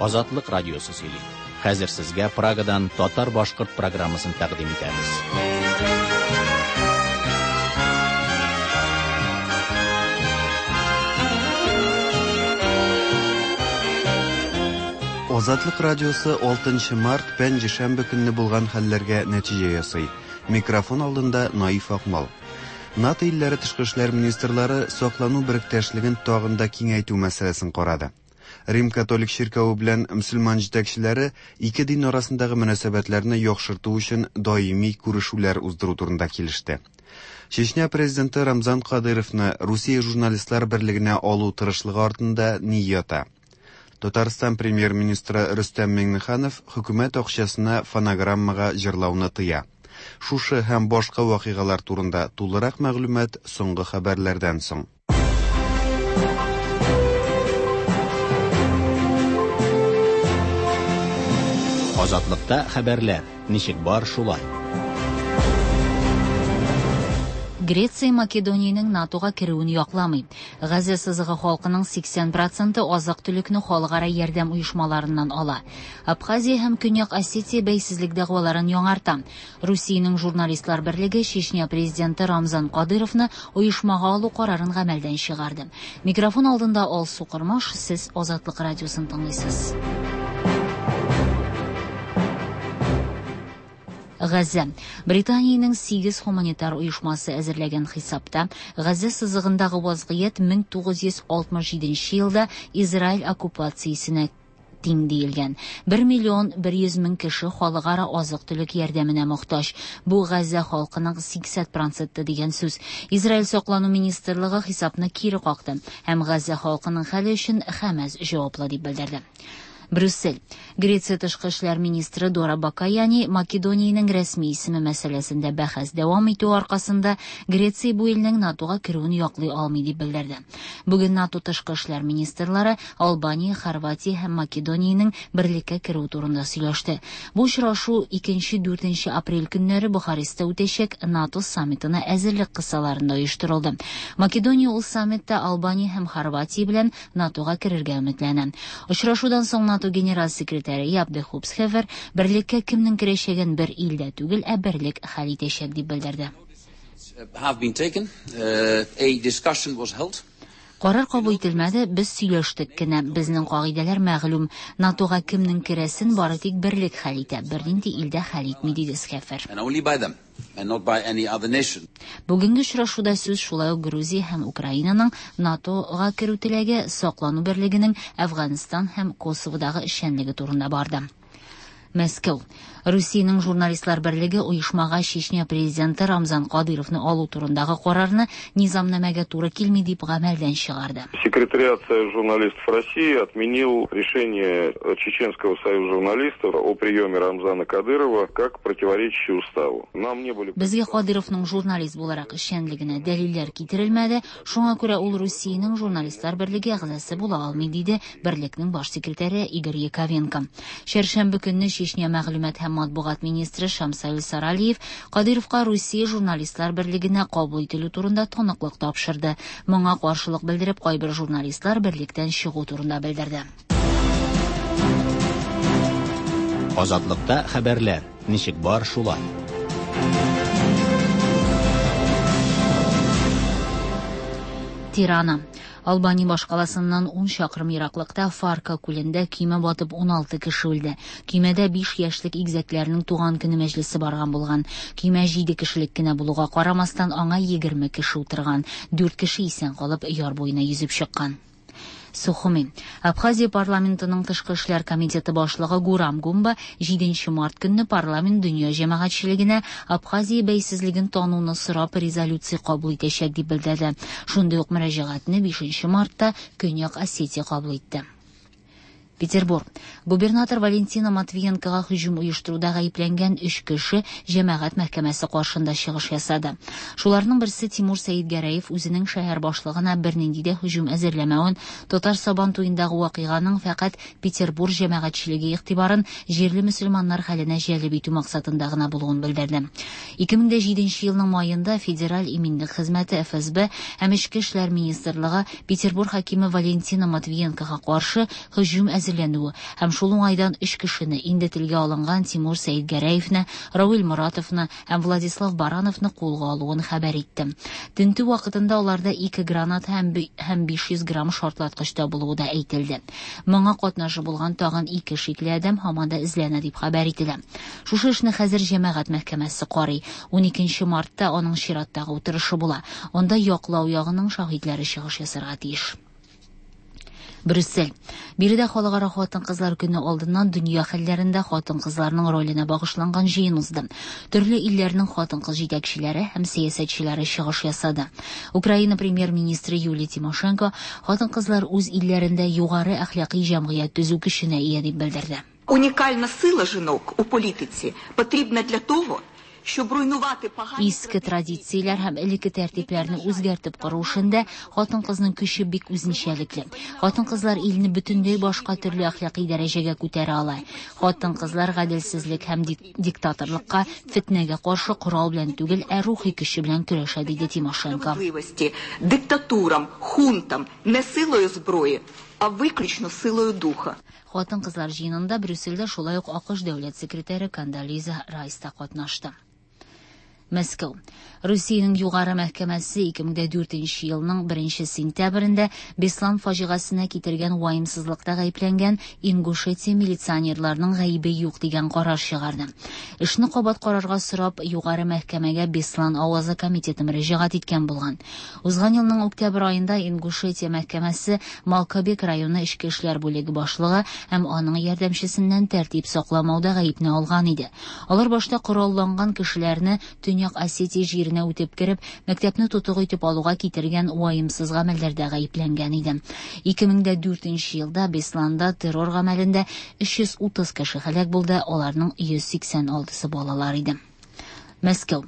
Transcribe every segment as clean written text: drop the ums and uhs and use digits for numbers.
Азатлык радиосы сөйли. Хәзер сезгә Прагадан татар-башкорт программасын тәкъдим итәбез. Азатлык радиосы 6 март пәнҗешәмбе көнне булган хәлләргә нәтиҗә ясый. Микрофон алдында Наиф Акмал. НАТО илләре тышкы эшләр министрлары саклану беректәшлеген тагын да киңәйтү мәсьәләсен карады. Рим католик чиркәве белән мөселман җитәкчеләре ике дин арасындагы мөнәсәбәтләрне яхшырту өчен даими күрешүләр уздыру турында килеште. Чечня президенты Рамзан Кадыровны Русия журналистлар берлегенә алу тырышлыгы артында ни ята? Татарстан премьер-министры Рөстәм Миңнеханов хөкүмәт акчасына фонограммага җырлауны тыя. Шушы һәм башка вакыйгалар турында тулырак мәгълүмат соңгы хәбәрләрдән соң. Азатлыкта хәбәрләр ничек бар шулай. Греция Македониянең НАТОга керүен якламый. Газа сызыгы халкының 80 проценты азык-төлекне халыкара ярдәм оешмаларыннан ала. Абхазия һәм Көньяк Осетия бәйсезлек дәгъваларын яңарта. Русиянең журналистлар берлеге Чечня президенты Рамзан Кадыровны оешмага алу карарын гамәлдән чыгарды. Микрофон алдында Алсу Кормаш, сез Азатлык радиосын тыңлыйсыз. Газа. Британиянең 8 гуманитар оешмасы әзерләгән хисапта Газа сызыгындагы вазгыять 1967 елда Израиль оккупациясенә тиң диелгән. 1 миллион 100 мең кеше халыкара азык-төлек ярдәменә мохтаҗ. Бу Газа халкының 80 проценты дигән сүз. Израиль саклану министрлыгы хисапны кире какты һәм Газа халкының хәле өчен Хәмәс җаваплы дип белдерде. Брюссель. Греция тышкы эшләр министры Дора Бакаяни Македониянең рәсми исеме мәсьәләсендә бәхәс дәвам итү аркасында Греция бу илнең НАТОга керүен яклый алмый дип белдерде. Бүген НАТО тышкы эшләр министрлары Албания, Хорватия һәм Македониянең берлеккә керүе турында сөйләште. Бу очрашу 2-4 апрель көннәре Бухарестта үтәчәк НАТО саммитына әзерлек кысаларында оештырылды. Македония ул саммитта Албания һәм Хорватия белән НАТОга керергә өметләнә. Очрашудан соң НАТО генераль секретаре Яп де Хупсхевер берлеккә кемнең керәчәген бер илдә түгел, ә берлек хәл итәчәк дип белдерде. Have been taken. A discussion was held. Карар кабул ителмәде, без сөйләштек кенә. Безнең кагыйдәләр мәгълүм. НАТОга кемнең керәсен бары тик берлек хәл итә, бернинди илдә хәл итми, диде Схефер. And only by them, and not by any other nation. Бүгенге очрашуда сүз шулай ук Грузия һәм Украинаның НАТОга керү теләге, саклану берлегенең Әфганстан һәм Косоводагы эшчәнлеге турында барды. Мәскәү. Русиянең журналистлар берлеге оешмага Чечня президенты Рамзан Кадыровны алу турындагы карарны низамнамәгә туры килми дип гамәлдән чыгарды. Секретариат Союза журналистов России отменил решение Чеченского союза журналистов о приеме Рамзана Кадырова как противоречащее уставу. Нам не были Безгә Кадыровның журналист буларак эшчәнлегенә дәлилләр китерелмәде, шуңа күрә ул Русиянең журналистлар берлеге әгъзасы була алмый, диде берлекнең баш секретаре Игорь Яковенко. Чәршәмбе көнне Чечня мәгълүмат һәм матбугат министры Шамсаил Саралиев Кадыровка Русия журналистлар берлегенә кабул ителү турында таныклык тапшырды. Моңа каршылык белдереп, кайбер журналистлар берлектән чыгу турында белдерде. Азатлыкта хәбәрләр ничек бар шулай. Тирана. Албания башкаласыннан 10 чакрым ераклыкта Фарка күлендә көймә батып 16 кеше үлде. Көймәдә 5 яшьлек игезәкләрнең туган көне мәҗлесе барган булган. Көймә 7 кешелек кенә булуга карамастан аңа 20 кеше утырган. 4 кеше исән калып яр буена йөзеп чыккан. Сухуми. Абхазия парламентының тышкы эшләр комитеты башлыгы Гурам Гумба 7 март көнне парламент дөнья җәмәгатьчелегенә Абхазия бәйсезлеген тануны сорап резолюция кабул итәчәк дип белдерде. Шундый ук мөрәҗәгатьне 5 мартта Көньяк Осетия кабул итте. Петербург. Губернатор Валентина Матвиенкога һөҗүм оештыруда гаепләнгән 3 кеше җәмәгать мәхкәмәсе каршында чыгыш ясады. Шуларның берсе Тимур Сәидгәрәев үзенең шәһәр башлыгына бернинди дә һөҗүм әзерләмәвен, Татар Сабан туендагы вакыйганың фәкать Петербург җәмәгатьчелеге игътибарын җирле мөселманнар хәленә җәлеп итү максатында гына булуын белдерде. 2007 елның маенда Федераль иминлек хезмәте ФСБ һәм Эчке эшләр министрлыгы Петербург хакиме Валентина Матвиенкога каршы һөҗүм әзерләү әзерләнүе һәм шул уңайдан өч кешене, инде телгә алынган Тимур Сәетгәрәевне, Равил Моратовны һәм Владислав Барановны кулга алуын хәбәр итте. Тентү вакытында аларда ике граната һәм һәм 500 грамм шартлаткыч табылуы да әйтелде. Моңа катнашы булган тагын ике шикле адәм һаман да эзләнә дип хәбәр ителә. Шушы эшне хәзер җәмәгать мәхкәмәсе карый. 12 мартта аның чираттагы утырышы була. Анда яклау ягының шаһитләре чыгыш ясарга тиеш. Брюссель. Биредә Халыкара хатын-кызлар көне алдыннан дөнья хәлләрендә хатын-кызларның роленә багышланган җыен узды. Төрле илләрнең хатын-кыз җитәкчеләре һәм сәясәтчеләре чыгыш ясады. Украина премьер-министры Юлия Тимошенко хатын-кызлар үз илләрендә югары әхлакый җәмгыять төзү көченә ия дип белдерде. Унікальна сила жінок у політиці потрібна для того, щоб руйнувати погані Иске традицияләр һәм элекке тәртипләрне үзгәртеп кору эшендә хатын-кызның көче бик үзенчәлекле. Хатын-кызлар илне бөтенләй башка төрле әхлакый дәрәҗәгә күтәрә ала. Хатын-кызлар гаделсезлек һәм диктаторлыкка, фетнәгә каршы корал белән түгел, ә рухи көче белән көрәшә, диде Тимошенко. Справедливості, диктатурам, хунтам не силою зброї, а виключно силою духа. Хатын-кызлар җыенында Брюссельдә шулай ук АКШ дәүләт секретаре Кондолиза Райс та катнашты. Мәскәү. Русиянең югары мәхкәмәсе 2004 елның 1 сентябрендә Беслан фаҗигасенә китергән ваемсызлыкта гаепләнгән Ингушетия милиционерларының гаебе юк дигән карар чыгарды. Эшне кабат карарга сорап югары мәхкәмәгә Беслан авазы комитеты мөрәҗәгать иткән булган. Узган елның октябрь аенда Ингушетия мәхкәмәсе Малкобек районы эчке эшләр бүлеге башлыгы һәм аның ярдәмчесеннән тәртип сакламауда гаепне алган иде. Алар башта коралланган кешеләрне Төньяк Осетия җиренә үтеп кереп, мәктәпне тотык итеп алуга китергән ваемсыз гамәлләрдә гаепләнгән иде. 2004 елда Бесланда террор гамәлендә 330 кеше һәлак булды, аларның 186-сы балалар иде. Мәскәү.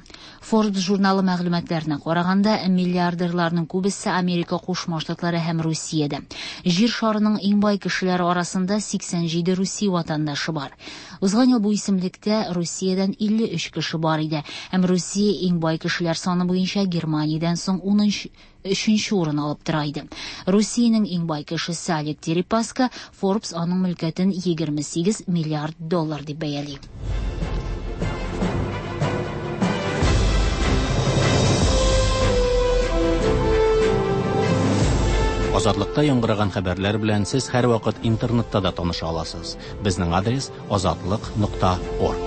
Forbes журналы мәгълүматларына караганда, миллиардерларның күбесе Америка Кушма Штатлары һәм Русиядә. Җир шарының иң бай кешеләре арасында 87 Русия ватандашы бар. Узган ел бу исемлектә Русиядән 53 кеше бар иде, һәм Русия иң бай кешеләр саны буенча Германиядән соң 13 урын алып тора иде. Русиянең иң бай кешесе Олег Дерипаска, Forbes аның мөлкәтен 28 миллиард доллар дип бәяли. Азатлыкта яңгыраган хәбәрләр белән сез һәрвакыт интернетта да таныша аласыз. Безнең адрес azatliq.org.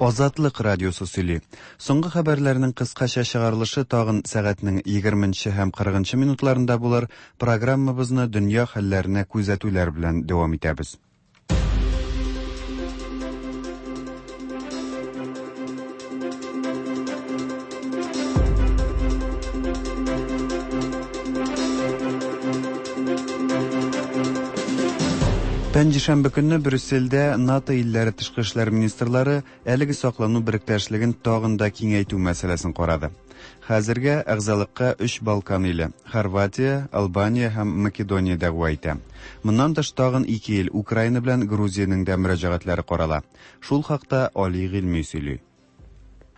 Азатлык радиосы сөйли. Соңгы хәбәрләрнең кыскача чыгарылышы тагын сәгатьнең 20 һәм 40 минутларында булыр. Программабызны дөнья хәлләренә күзәтүләр белән дәвам итәбез. Пәнҗешәмбе көнне Брюссельдә НАТО илләре тышкы эшләр министрлары әлеге саклану беректәшлеген тагын да киңәйтү мәсьәләсен карады. Хәзергә әгъзалыкка 3 Балкан иле Хорватия, Албания һәм Македония дәгъва итә. Моннан тыш тагын 2 ил Украина белән Грузиянең дә мөрәҗәгатьләре карала. Шул хакта Али Гыйльми сөйли.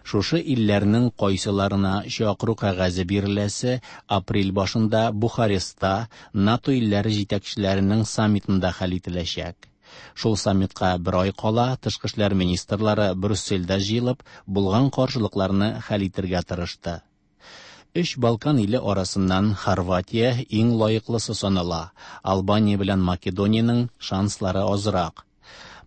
Шушы илләрнең кайсыларына чакыру кәгазе биреләсе апрель башында Бухарестта НАТО илләре җитәкчеләренең саммитында хәл ителәчәк. Шул саммитка бер ай кала тышкы эшләр министрлары Брюссельдә җыелып, булган каршылыкларны хәл итергә тырышты. Өч Балкан иле арасыннан Хорватия иң лаеклысы санала. Албания белән Македониянең шанслары азрак.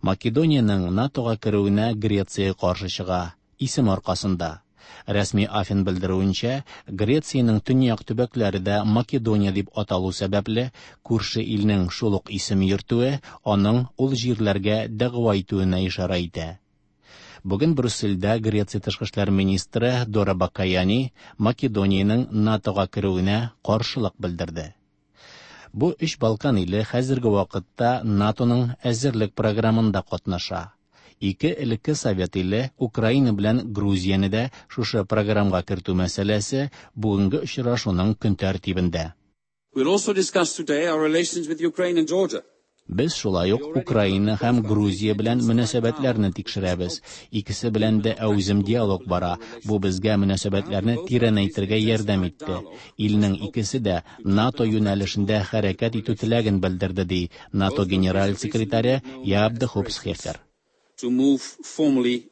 Македониянең НАТОга керүенә Греция каршы чыга исем аркасында. Рәсми Афин белдерүенчә, Грециянең төньяк төбәкләре дә Македония дип аталу сәбәпле, күрше илнең шул ук исем йөртүе аның ул җирләргә дәгъва итүенә ишарә итә. Бүген Брюссельдә Греция тышкы эшләр министры Дора Бакаяни Македониянең НАТОга керүенә каршылык белдерде. Бу өч Балкан иле хәзерге вакытта НАТОның әзерлек программында катнаша. Ике элекке совет иле Украина белән Грузияне дә шушы программага кертү мәсьәләсе бүгенге очрашуның көн тәртибендә. We'll also discuss today our relations with Ukraine and Georgia. Без шулай ук Украина һәм Грузия белән мөнәсәбәтләрне тикшерәбез. Икесе белән дә әүзем диалог бара. Бу безгә мөнәсәбәтләрне тирәнәйтергә ярдәм итте. Илнең икесе дә НАТО юнәлешендә хәрәкәт итү теләген белдерде, ди НАТО генераль секретаре Яап де Хоп Схефер. To move formally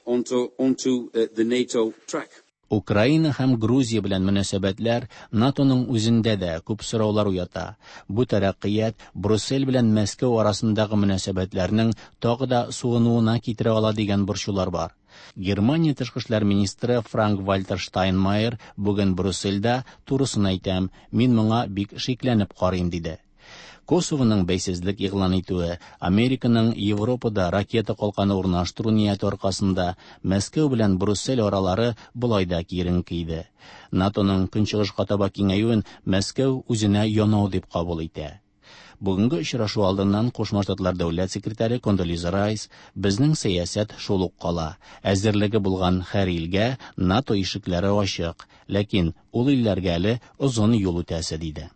onto the NATO track. Украина һәм Грузия белән мөнәсәбәтләр НАТОның үзендә дә күп сораулар уята. Бу тәрәккыят Брюссель белән Мәскәү арасындагы мөнәсәбәтләрнең тагы да суынуына китерә ала дигән борчулар бар. Германия тышкы эшләр министры Франк-Вальтер Штайнмайер бүген Брюссельдә турысын әйтәм, мин моңа бик шикләнеп карыйм диде. Косовоның бәйсезлек игълан итүе, Американың Европада ракета калканы урнаштыру нияте аркасында Мәскәү белән Брюссель аралары болай да киеренке иде. НАТОның көнчыгышка таба киңәюен Мәскәү үзенә янау дип кабул итә. Бүгенге очрашу алдыннан Кушма Штатлар дәүләт секретаре Кондолиза Райс безнең сәясәт шул ук кала. Әзерлеге булган һәр илгә НАТО ишекләре ачык, ләкин ул илләргә әле озын юл үтәсе диде.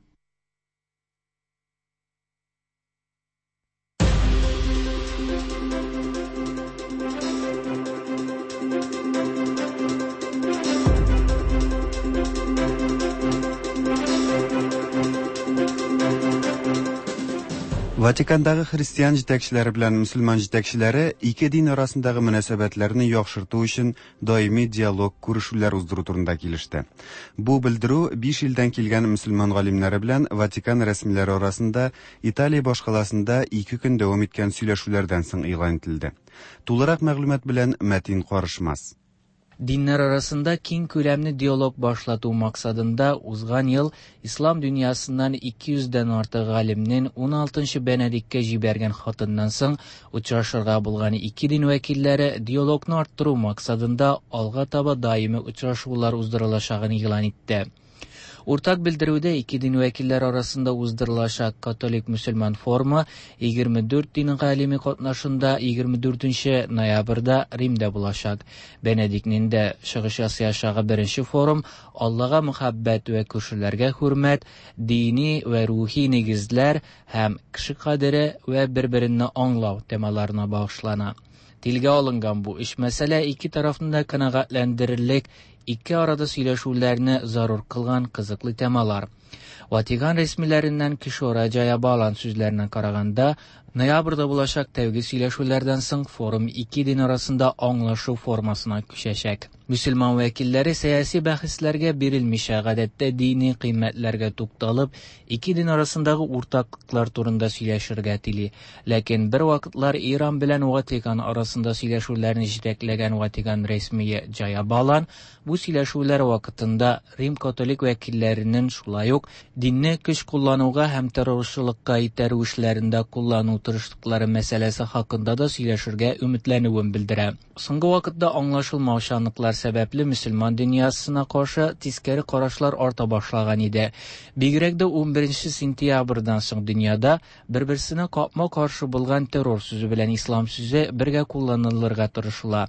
Ватикандагы христиан җитәкчеләре белән мөселман җитәкчеләре ике дин арасындагы мөнәсәбәтләрне яхшырту өчен даими диалог, күрешүләр уздыру турында килеште. Бу белдерү биш илдән килгән мөселман галимнәре белән Ватикан рәсмиләре арасында Италия башкаласында ике көн дәвам иткән сөйләшүләрдән соң игълан ителде. Тулырак мәгълүмат белән Мәтин Карышмас. Диннәр арасында киң күләмле диалог башлату максатында узган ел ислам дөньясыннан 200 дән артык галимнең 16 Бенедиктка җибәргән хатыннан соң очрашырга булган ике дин вәкилләре диалогны арттыру максатында алга таба даими очрашулар уздырылачагын игълан итте. Уртак белдерүдә ике дин вәкилләре арасында уздырылачак католик-мөселман форумы 24 дин галиме катнашында 24 ноябрьдә Римда булачак. Бенедиктның дә чыгыш ясаячагы беренче форум Аллага мөхәббәт вә күршеләргә хөрмәт, дини вә рухи нигезләр һәм кеше кадере вә бер-береңне аңлау темаларына багышлана. Телгә алынган бу өч мәсьәлә ике тарафны да канәгатьләндерерлек, ике арада сөйләшүләрне зарур кылган кызыклы темалар. Ватикан рәсмиләреннән Кишора Джаябалан сүзләренә караганда, ноябрьдә булачак тәүге сөйләшүләрдән соң форум ике дин арасында аңлашу формасына күчәчәк. Мөселман вәкилләре сәяси бәхәсләргә бирелмичә, гадәттә дини кыйммәтләргә тукталып, ике дин арасындагы уртаклыклар турында сөйләшергә тели. Ләкин бер вакытлар Иран белән Ватикан арасында сөйләшүләрне җитәкләгән Ватикан рәсмие Джаябалан бу сөйләшүләр вакытында Рим католик вәкилләренең шулай ук динне көч куллануга һәм террорчылыкка итәрү эшләрендә куллану тырышлыклары мәсьәләсе хакында да сөйләшергә өметләнүен белдерә. Соңгы вакытта аңлашылмаучанлыклар сәбәпле мөселман дөньясына каршы тискәре карашлар арта башлаган иде. Бигрәк дә 11 сентябрьдән соң дөньяда бер-берсенә капма-каршы булган террор сүзе белән ислам сүзе бергә кулланылырга тырышыла.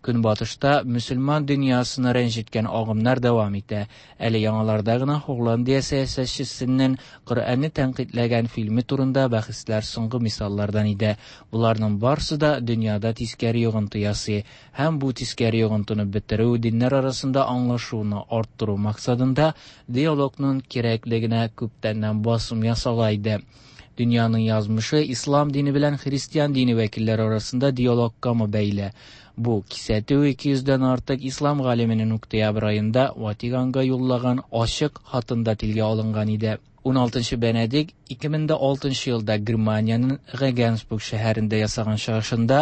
Көнбатышта мөселман дөньясына рәнҗеткән агымнар дәвам итә. Әле яңаларда гына Холландия сәясәтчесенең Коръәнне тәнкыйтьләгән фильме турында бәхәсләр соңгы мисаллардан иде. Буларның барысы да дөньяда тискәре йогынты ясый һәм бу тискәре йогынтыны бетерү, диннәр арасында аңлашуны арттыру максатында диалогның кирәклегенә күптәннән басым ясала иде. Дөньяның язмышы ислам дине белән христиан дине вәкилләре арасында диалогка бәйле. Бу кисәтү 200дән артык ислам галименең октябрь аенда Ватиканга юллаган ачык хатында телгә алынган иде. 16 Бенедикт 2006 елда Германиянең Регенсбург шәһәрендә ясаган чыгышында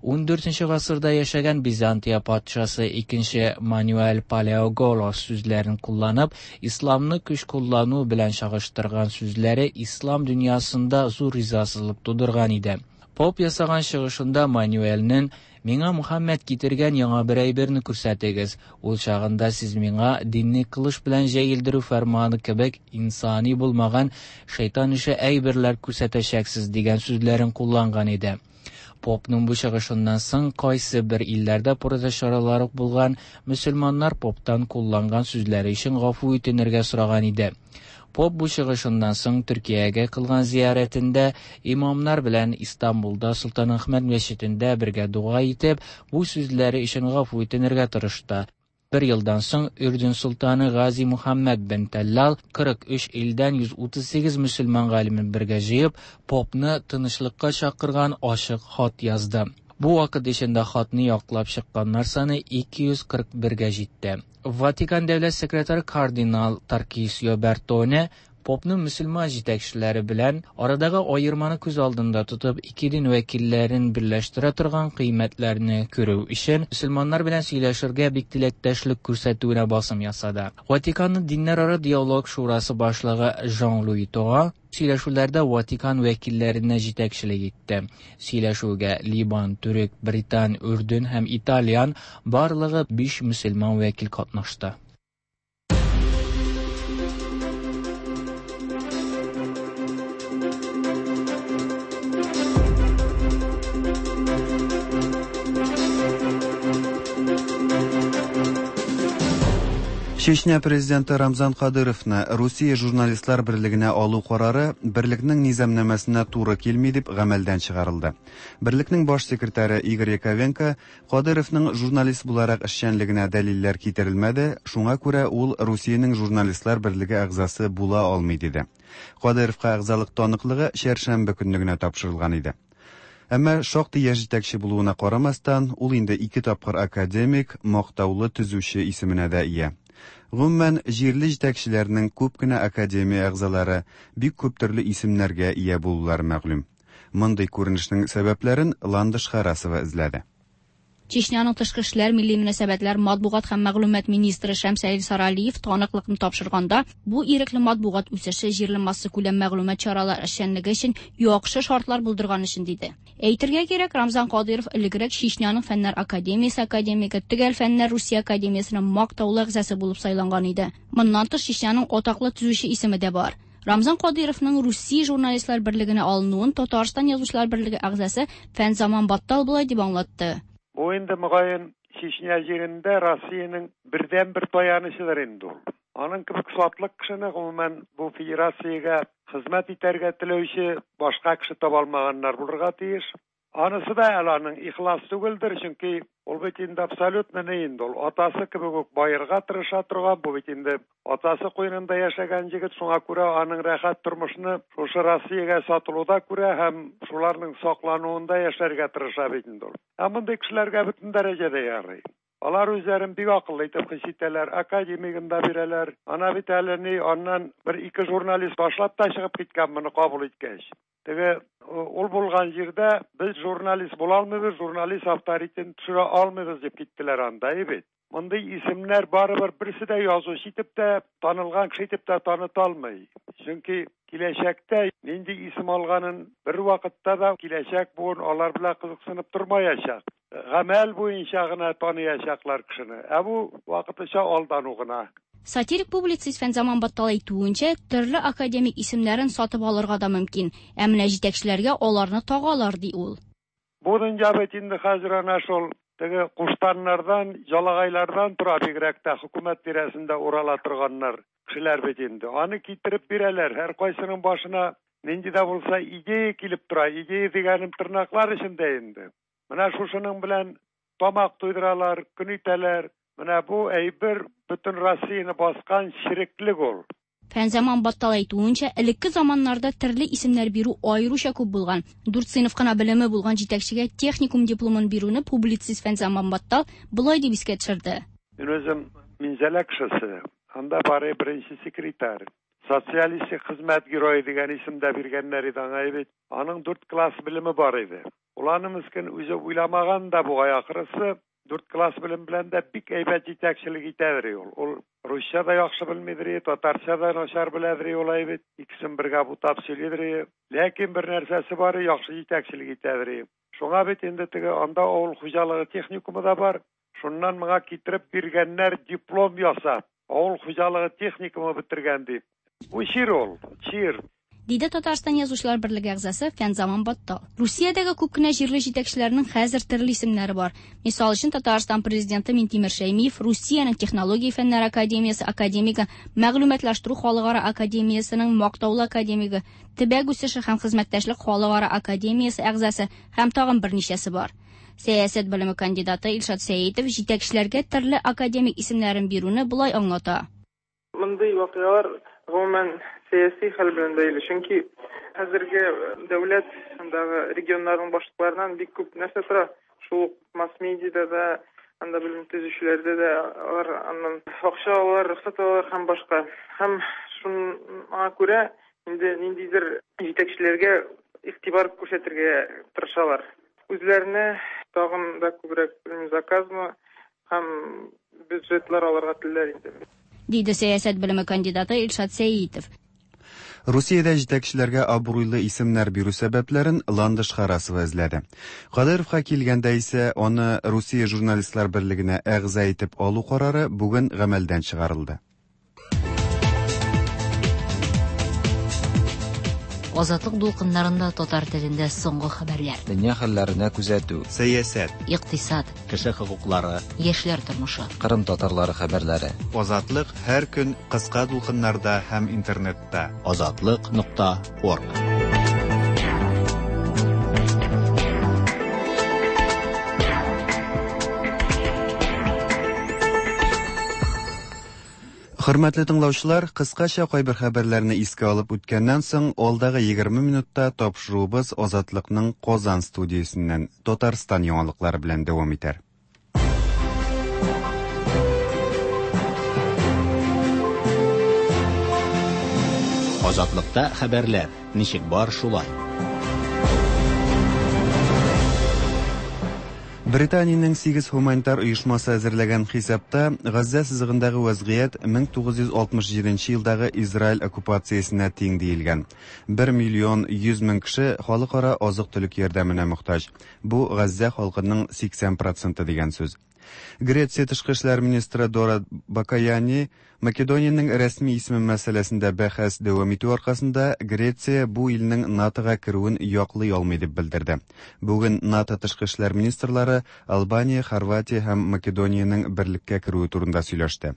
14 гасырда яшәгән Византия патшасы 2 Мануэль Палеоголос сүзләрен кулланып, исламны көч куллану белән чагыштырган сүзләре ислам дөньясында зур ризасызлык тудырган иде. Поп ясаган чыгышында Мануэльнең «Миңа Мухаммед китергән яңа бер әйберне күрсәтегез. Ул чагында сез миңа динне кылыч белән җәелдерү фәрманы кебек инсани булмаган шайтан ише әйберләр күрсәтәчәксез» дигән сүзләрен кулланган иде. Попның бу чыгышыннан соң кайсы бер илләрдә протест чаралары булган, мөселманнар поптан кулланган сүзләре өчен гафу үтенергә сораган иде. Поп бу чыгышыннан соң Төркиягә кылган зиярәтендә имамнар белән Истанбулда Солтанәхмәт мәчетендә бергә дога итеп, бу сүзләре өчен гафу үтенергә тырышты. Бер елдан соң Үрдүн солтаны Гази Мухаммад бен Таллал 43 илдән 138 мөселман галимен бергә җыеп, попны тынычлыкка чакырган ачык хат язды. Бу вакыт эчендә хатны яклап чыкканнар саны 241гә җитте. Ватикан дәүләт секретаре кардинал Таркисио Бертоне попның мөселман җитәкчеләре белән арадагы аерманы күз алдында тотып, ике дин вәкилләрен берләштерә торган кыйммәтләрне күрү өчен мөселманнар белән сөйләшергә бик теләктәшлек күрсәтүенә басым ясады. Ватиканның диннәрара диалог шурасы башлыгы Жан-Луи Тора сөйләшүләрдә Ватикан вәкилләренә җитәкчелек итте. Сөйләшүгә Либан, Төрек, Британ, Үрдүн һәм Итальян барлыгы 5 мөселман вәкил катнашты. Чечня президенты Рамзан Кадыровны Русия журналистлар берлегенә алу карары берлекнең низамнамәсенә туры килми дип гамәлдән чыгарылды. Берлекнең баш секретаре Игорь Яковенко Кадыровның журналист буларак эшчәнлегенә дәлилләр китерелмәде, шуңа күрә ул Русиянең журналистлар берлеге әгъзасы була алмый диде. Кадыровка әгъзалык таныклыгы чәршәмбе көнне генә тапшырылган иде. Әмма шактый яшь җитәкче булуына карамастан, ул инде ике тапкыр академик, мактаулы төзүче исеменә дә ия. Гомумән, җирле җитәкчеләрнең күп кенә академия әгъзалары бик күп төрле исемнәргә ия булулары мәгълүм. Мондый күренешнең сәбәпләрен Ландыш Харасова эзләде. Чечняның тышкы эшләр, милли мөнәсәбәтләр, матбугат һәм мәгълүмат министры Шәмсәлил Саралиев таныклыкны тапшырганда, бу ирекле матбугат үсеше җирле массакүләм мәгълүмат чаралары эшчәнлеге өчен яхшы шартлар булдырган өчен диде. Әйтергә кирәк, Рамзан Кадыйров элегрәк Чечняның Фәннәр академиясе академигы, Төгәл фәннәр Русия академиясенең мактаулы әгъзасы булып сайланган иде. Моннан тыш, Чечняның атаклы төзүче исеме дә бар. Рамзан Кадыйровның Русия журналистлар берлегенә алынуын Татарстан язучылар берлеге әгъзасы Фәнзаман Баттал болай дип аңлатты. Бу инде мөгаен Чечня җирендә Россиянең бердәнбер таянычыдыр инде ул. Аның кебек сатлык кешене гомумән бу федерациягә хезмәт итәргә теләүче башка кеше таба алмаганнар булырга тиеш. Анысы да әле аның ихлас түгелдер, чөнки ул бит инде абсолютно ни инде ул атасы кебек үк баерга тырыша торган, бу бит инде атасы куенында яшәгән егет, шуңа күрә аның рәхәт тормышны шушы Россиягә сатылуда күрә һәм шуларның саклануында яшәргә тырыша бит инде ул. Ә мондый кешеләргә бөтен дәрәҗәдә ярый. Алар үзләрен бик акыллы итеп хис итәләр, академигын да бирәләр. Ана бит әле ни, аннан бер ике журналист башлап та чыгып киткән моны кабул иткәч. Теге ул булган җирдә без журналист була алмыйбыз, журналист авторитетын төшерә алмыйбыз дип киттеләр анда, бит. Мондый исемнәр барыбер берсе дә язучы итеп тә, танылган кеше итеп тә таныта алмый. Чөнки киләчәктә нинди исем алганын бер вакытта да киләчәк буын алар белән кызыксынып тормаячак. Гамәл буенча гына таныячаклар кешене. Ә бу вакытлыча алдану гына. Сатирик публицист Фәнзаман Баттал әйтүенчә, төрле академик исемнәрен сатып алырга да мөмкин. Ә менә җитәкчеләргә аларны тагалар, ди ул. Бу дөнья бит инде хәзер әнә шул теге куштаннардан, жалагайлардан тора бигрәк тә хөкүмәт тирәсендә урала торганнар кешеләр бит инде. Аны китереп бирәләр. Һәр кайсының башына нинди дә булса идея килеп тора. Идея дигәнем тырнаклар эчендә инде. Менә шушының белән тамак туйдыралар, көн итәләр. Менә бу әйбер бөтен Россияне баскан череклек ул. Фәнзаман Баттал әйтүенчә, элекке заманнарда төрле исемнәр бирү аеруча күп булган. 4 сыйныф кына белеме булган җитәкчегә техникум дипломын бирүне публицист Фәнзаман Баттал болай дип искә төшерде. Мин үзем Минзәлә кешесе. Анда бары беренче секретарь. Социалистик хезмәт герое дигән исем дә биргәннәр иде аңа бит. Аның 4 класс белеме бар иде. Ул аны мескен үзе уйламаган да бугай ахрысы. 4 класс белем белән дә бик әйбәт җитәкчелек итәдер ул. Ул русча да яхшы белмидер, татарча да начар беләдер ул бит. Икесен бергә бутап сөйлидер. Ләкин бер нәрсәсе бар, яхшы җитәкчелек итәдер. Шуңа бит инде теге анда авыл хуҗалыгы техникумы да бар. Шуннан моңа китереп биргәннәр диплом ясап, авыл хуҗалыгы техникумы бетергән дип. Бу чир ул, чир. Диде Татарстан Язучылар берлеге әгъзасы Фәнзаман Баттал. Русиядәге күп кенә җирле җитәкчеләрнең хәзер төрле исемнәре бар. Мисал өчен, Татарстан президенты Минтимер Шәймиев Русиянең технология фәннәре академиясе академигы, Мәгълүматлаштыру халыкара академиясенең мактаулы академигы, Төбәк үсеше һәм хезмәттәшлек халыкара академиясе әгъзасы һәм тагын берничәсе бар. Сәясәт белеме кандидаты Илшат Сәетов җитәкчеләргә төрле академик исемнәрен бирүне болай аңлата. Мондый вакыйгалар гомумән сәяси хәл белән бәйле, чөнки хәзерге дәүләт андагы регионнарның башлыкларыннан бик күп нәрсә тора. Шул ук масс-медиада да, анда белем төзүчеләрдә дә алар аннан акча алалар, рөхсәт алалар һәм башка. Һәм шуңа күрә инде ниндидер җитәкчеләргә игътибар күрсәтергә тырышалар. Үзләренә тагын да күбрәк, белмим, заказмы һәм бюджетлар алырга телиләр инде. Диде сәясәт белеме кандидаты Илшат Сәетов. Русиядә җитәкчеләргә абруйлы исемнәр бирү сәбәпләрен Ландыш Харасова эзләде. Кадыровка килгәндә исә аны Русия журналистлар берлегенә әгъза итеп алу карары бүген гамәлдән чыгарылды. Азатлык дулкыннарында татар телендә соңгы хәбәрләр. Дөнья хәлләренә күзәтү. Сәясәт. Икътисад. Кеше хокуклары. Яшьләр тормышы. Кырым татарлары хәбәрләре. Азатлык һәр көн кыска дулкыннарда һәм интернетта. Азатлык.орг. Хөрмәтле тыңлаучылар, кыскача кайбер хәбәрләрне искә алып үткәннән соң, алдагы 20 минутта тапшыруыбыз Азатлыкның Казан студиясеннән Татарстан яңалыклары белән дәвам итәр. Азатлыкта хәбәрләр ничек бар шулай. Британиянең 8 һуманитар оешмасы әзерләгән хисапта Газзә сызыгындагы вазгыять 1967 елдагы Израиль оккупациясенә тиң диелгән. 1 миллион 100 мең кеше халыкара азык-төлек ярдәменә мохтаҗ. Бу Газзә халкының 80% дигән сүз. Греция тышкы эшләр министры Дора Бакаяни Македониянең рәсми исеме мәсьәләсендә бәхәс дәвам итү аркасында Греция бу илнең НАТОга керүен яклый алмый дип белдерде. Бүген НАТО тышкы эшләр министрлары Албания, Хорватия һәм Македониянең берлеккә керүе турында сөйләште.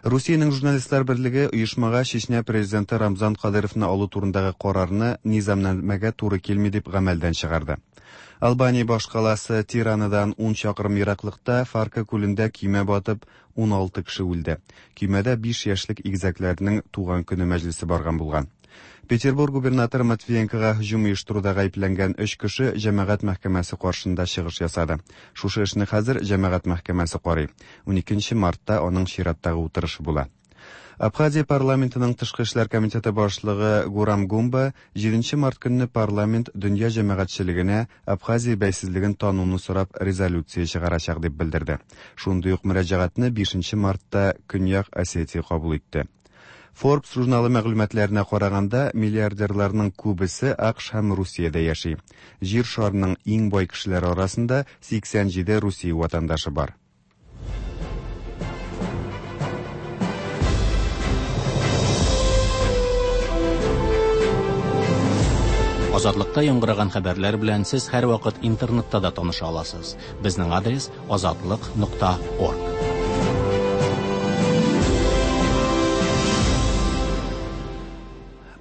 Русиянең журналистлар берлеге оешмага Чечня президенты Рамзан Кадыровны алу турындагы карарны низамнамәгә туры килми дип гамәлдән чыгарды. Албания башкаласы Тиранадан 10 чакрым ераклыкта Фарка күлендә көймә батып 16 кеше үлде. Көймәдә 5 яшьлек игезәкләрнең туган көне мәҗлесе барган булган. Петербург губернаторы Матвиенкога һөҗүм оештыруда гаепләнгән 3 кеше җәмәгать мәхкәмәсе каршында чыгыш ясады. Шушы эшне хәзер җәмәгать мәхкәмәсе карый. 12 мартта аның чираттагы утырышы була. Абхазия парламентының тышкы эшләр комитеты башлыгы Гурам Гумба 7 март көнне парламент дөнья җәмәгатьчелегенә Абхазия бәйсезлеген тануны сорап резолюция чыгарачак дип белдерде. Шундый ук мөрәҗәгатьне 5 мартта Көньяк Осетия кабул итте. Forbes журналы мәгълүматларына караганда, миллиардерларның күбесе АКШ һәм Русиядә яши. Җир шарының иң бай кешеләре арасында 87 Русия ватандашы бар. Азатлыкта яңгыраган хәбәрләр белән сез һәрвакыт интернетта да таныша аласыз. Безнең адрес азатлык.орг.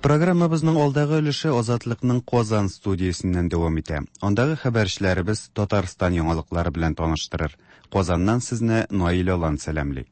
Программабызның алдагы өлеше Азатлыкның Казан студиясеннән дәвам итә. Андагы хәбәрчеләребез Татарстан яңалыклары белән таныштырыр. Казаннан сезне Наил Алан сәламли.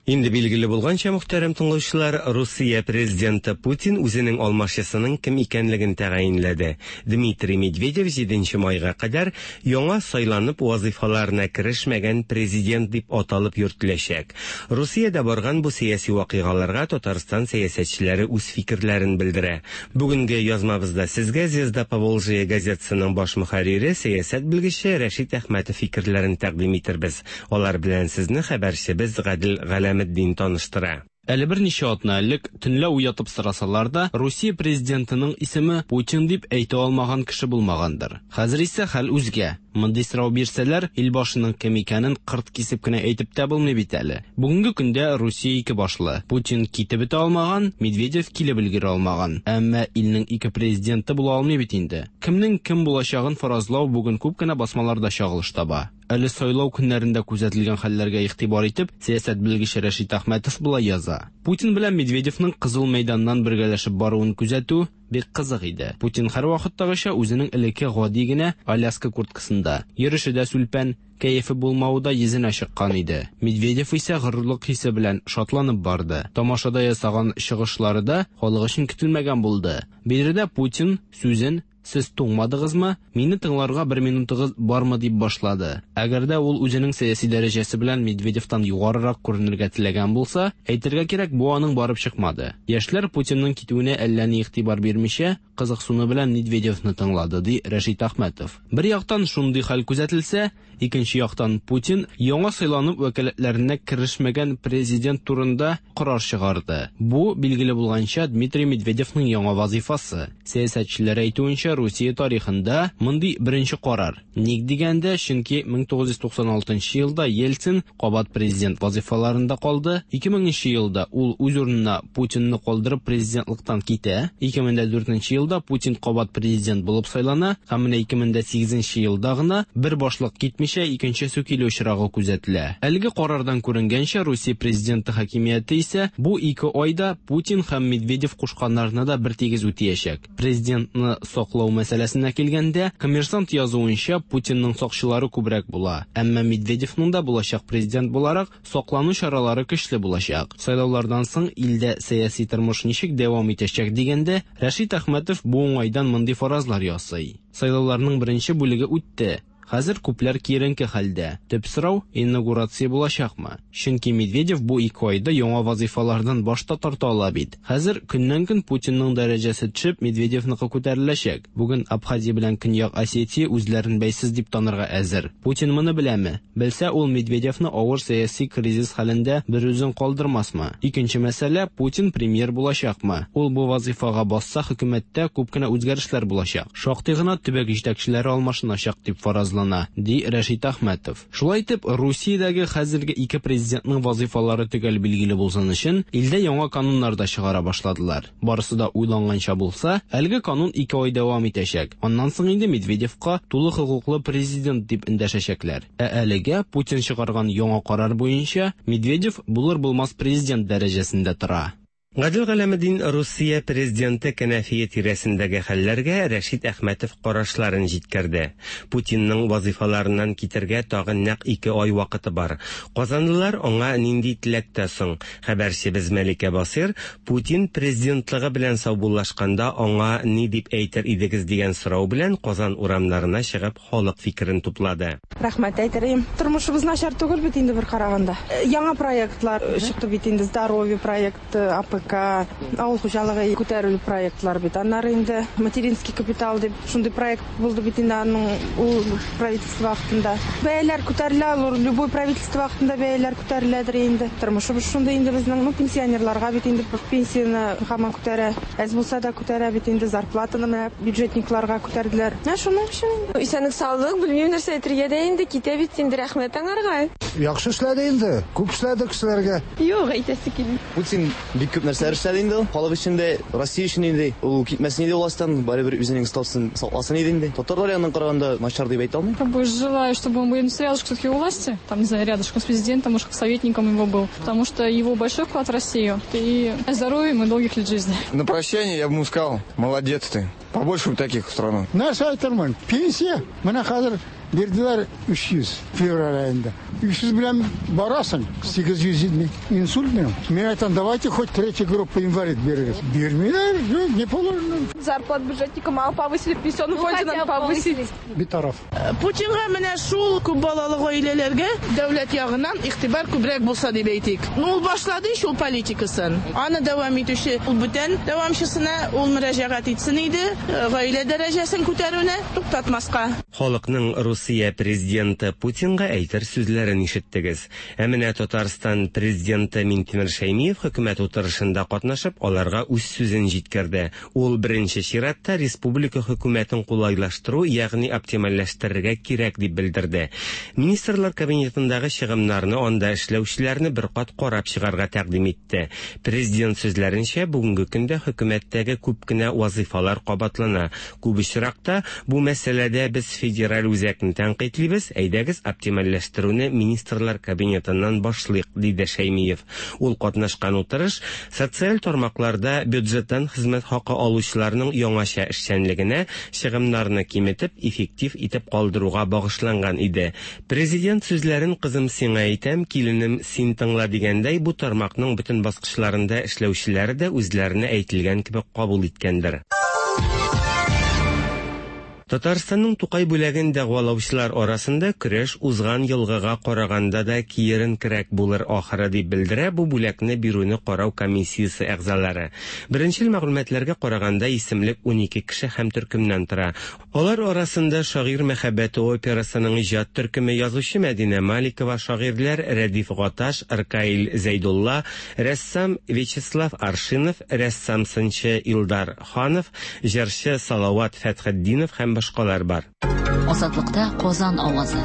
Инде билгеле булганча, мөхтәрәм тыңлаучылар, Русия президенты Путин үзенең алмашчысының кем икәнлеген тәгаенләде. Дмитрий Медведев 7 майга кадәр яңа сайланып вазифаларына керешмәгән президент дип аталып йөртеләчәк. Русиядә барган бу сәяси вакыйгаларга Татарстан сәясәтчеләре үз фикерләрен белдерә. Бүгенге язмабызда сезгә Звезда Поволжья газетасының баш мөхәррире, сәясәт белгече Рәшит Әхмәтов фикерләрен тәкъдим итербез. Алар белән сезне хәбәрчебез Гадел Галәметдин таныштыра. Әле берничә атна элек төнлә уятып сорасалар да, Русия президентының исеме Путин дип әйтә алмаган кеше булмагандыр. Хәзер исә хәл үзгә. Мондый сорау бирсәләр, илбашының кем икәнен кырт кисеп кенә әйтеп тә булмый бит әле. Бүгенге көндә Русия ике башлы. Путин китеп бетә алмаган, Медведев килеп өлгерә алмаган. Әмма илнең ике президенты була алмый бит инде. Кемнең кем булачагын фаразлау бүген күп кенә басмаларда чагылыш таба. Әле сайлау көннәрендә күзәтелгән хәлләргә игътибар итеп, сәясәт белгече Рәшит Әхмәтов болай яза. Путин белән Медведевның Кызыл мәйданнан бергәләшеп баруын күзәтү бик кызык иде. Путин һәрвакыттагыча үзенең элекке гади генә Аляска курткасында. Йөреше дә сүлпән, кәефе булмавы да йөзенә чыккан иде. Медведев исә горурлык хисе белән шатланып барды. Тамашада ясаган чыгышлары да халык өчен көтелмәгән булды. Биредә Путин сүзен Сез туңмадыгызмы? Мине тыңларга бер минутыгыз бармы дип башлады. Әгәр дә ул үзенең сәяси дәрәҗәсе белән Медведевтан югарырак күренергә теләгән булса, әйтергә кирәк, бу аның барып чыкмады. Яшьләр Путинның китүенә әллә ни игътибар бирмичә, кызыксыну белән Медведевны тыңлады, ди Рәшит Әхмәтов. Бер яктан шундый хәл күзәтелсә, Икенче яктан, Путин яңа сайланып вәкаләтләренә керешмәгән президент турында карар чыгарды. Бу, билгеле булганча, Дмитрий Медведевның яңа вазыйфасы. Сәясәтчеләр әйтүенчә, Русия тарихында мондый беренче карар. Ник дигәндә, чөнки 1996 елда Ельцин кабат президент вазыйфаларында калды, 2000 нче елда ул үз урынына Путинны калдырып президентлыктан китә, 2004 елда Путин кабат президент булып сайлана һәм менә 2008 елда гына бер башлык китмичә икенчесе килү очрагы күзәтелә. Әлеге карардан күренгәнчә, Русия президенты хакимияте исә бу ике айда Путин һәм Медведев кушканнарны да бертигез үтиячәк. Президентны саклау мәсьәләсенә килгәндә, Коммерсант язуынча, Путинның сакчылары күбрәк була. Әмма Медведевның да булачак президент буларак саклану чаралары көчле булачак. Сайлаулардан соң илдә сәяси тормыш ничек дәвам итәчәк дигәндә, Рәшит Әхмәтов бу уңайдан мондый фаразлар ясый. Сайлауларның беренче бүлеге үтте. Хәзер күпләр киеренке хәлдә. Төп сорау, инаугурация булачакмы? Чөнки Медведев бу ике айда яңа вазыйфалардан баш та тарта ала бит. Хәзер көннән-көн Путинның дәрәҗәсе төшеп, Медведевныкы күтәреләчәк. Бүген Абхазия белән Көньяк Осетия үзләрен бәйсез дип танырга әзер. Путин моны беләме? Белсә, ул Медведевны авыр сәяси кризис хәлендә берүзен калдырмасмы? Икенче мәсьәлә, Путин премьер булачакмы? Ул бу вазыйфага басса, хөкүмәттә күп кенә үзгәрешләр булачак. Шактый гына төбәк җитәкчеләре алмашыначак дип фаразлана, ди Рәшит Әхмәтов. Шулай итеп, Русиядәге хәзерге ике президентның вазыйфалары төгәл билгеле булсын өчен, илдә яңа кануннар да чыгара башладылар. Барысы да уйланганча булса, әлеге канун ике ай дәвам итәчәк. Аннан соң инде Медведевка тулы хокуклы президент дип эндәшәчәкләр. Ә әлегә Путин чыгарган яңа карар буенча, Медведев булыр-булмас президент дәрәҗәсендә тора. Гадел Галәметдин Русия президенты кәнәфие тирәсендәге хәлләргә Рәшит Әхмәтов карашларын җиткерде. Путинның вазыйфаларыннан китергә тагын нәкъ ике ай вакыты бар. Казанлылар аңа нинди теләктә соң? Хәбәрчебез Мәликә Басыйр Путин президентлыгы белән саубуллашканда аңа ни дип әйтер идегез дигән сорау белән Казан урамнарына чыгып халык фикерен туплады. Рәхмәт әйтер идем. Тормышыбыз начар түгел бит инде бер караганда. Яңа проектлар чыкты бит инде, Здоровье проекты, АПК, авыл хуҗалыгы күтәрелү проектлары бит. Аннары инде материнский капитал дип шундый проект булды бит инде аның ул правительство вакытында. Бәяләр күтәрелә, ул любой правительство вакытында бәяләр күтәреләдер инде. Тормышыбыз шундый инде безнең, ну, пенсионерларга бит инде пенсияне һаман күтәрә. Әз булса да күтәрә бит инде, зарплатаны менә бюджетникларга күтәрделәр. Менә шуның өчен инде. Исәнлек саулык, белмим нәрсә әйтергә дә инде, китә бит инде, рәхмәт аңарга. Яхшы эшләде инде, күп эшләде кешеләргә. Юк, әйтәсе килми. Путин бик күп нәрсәләр эшләде инде ул. Халык өчен дә, Россия өчен инде. Ул китмәсен иде властьтан, барыбер үзенең статусын сакласын иде инде. Татарлар ягыннан караганда начар дип әйтә алмыйм. Как бы желаю, чтобы он был рядышком все-таки у власти, там, не знаю, рядышком с президентом, может, как советником его был, потому что его большой вклад в Россию. И здоровья ему и долгих лет жизни. На прощание я бы ему сказал, молодец ты, побольше бы таких в страну. Нәрсә әйтермен? Пенсия менә хәзер бирделәр 300 февраль аенда. 300 белән барасың, 870 инсульт минем. Мин әйтәм, давайте хоть третья группа инвалид бирегез. Бирмиләр, юк, не положено. Зарплат бюджетникам мало повысили, в пенсионном фонде надо повысить. Битараф. Путинга менә шул күп балалы гаиләләргә дәүләт ягыннан игътибар күбрәк булса дип әйтик. Ну, ул башлады ич ул политикасын. Аны дәвам итүче ул бүтән дәвамчысына ул мөрәҗәгать итсен иде, гаилә дәрәҗәсен күтәрүне туктатмаска. Халыкның Русия Русия президенты Путинга әйтер сүзләрен ишеттегез. Ә менә Татарстан президенты Минтимер Шәймиев хөкүмәт утырышында катнашып, аларга үз сүзен җиткерде. Ул беренче чиратта республика хөкүмәтен кулайлаштыру, ягъни оптимальләштерергә кирәк дип белдерде. Министрлар кабинетындагы чыгымнарны анда эшләүчеләрне бер кат карап чыгарга тәкъдим итте. Президент сүзләренчә, бүгенге көндә хөкүмәттәге күп кенә вазыйфалар кабатлана. Күп очракта бу мәсьәләдә без федераль үзәкне тәнкыйтьлибез, әйдәгез оптимальләштерүне министрлар кабинетыннан башлыйк, диде Шәймиев. Ул катнашкан утырыш социаль тармакларда бюджеттан хезмәт хакы алучыларның яңача эшчәнлегенә чыгымнарны киметеп, эффектив итеп калдыруга багышланган иде. Президент сүзләрен кызым сиңа әйтәм, киленем син тыңла дигәндәй, бу тармакның бөтен баскычларында эшләүчеләре дә үзләренә әйтелгән кебек кабул иткәндер. Татарстанның Тукай бүләген дәгъвалаучылар арасында көрәш узган елгыга караганда да киеренкерәк булыр ахыры, дип белдерә бу бүләкне бирүне карау комиссиясе әгъзалары. Беренчел мәгълүматларга караганда, исемлек 12 кеше һәм төркемнән тора. Алар арасында Шагыйрь мәхәббәте операсының иҗат төркеме, язучы Мәдинә Маликова, шагыйрьләр Рәдиф Гаташ, Ркаил Зәйдулла, рәссам Вячеслав Аршинов, рәссам-сынчы Илдар Ханов, җырчы Салават Фәтхетдинов һәм башкалар бар. Азатлыкта Казан авазы.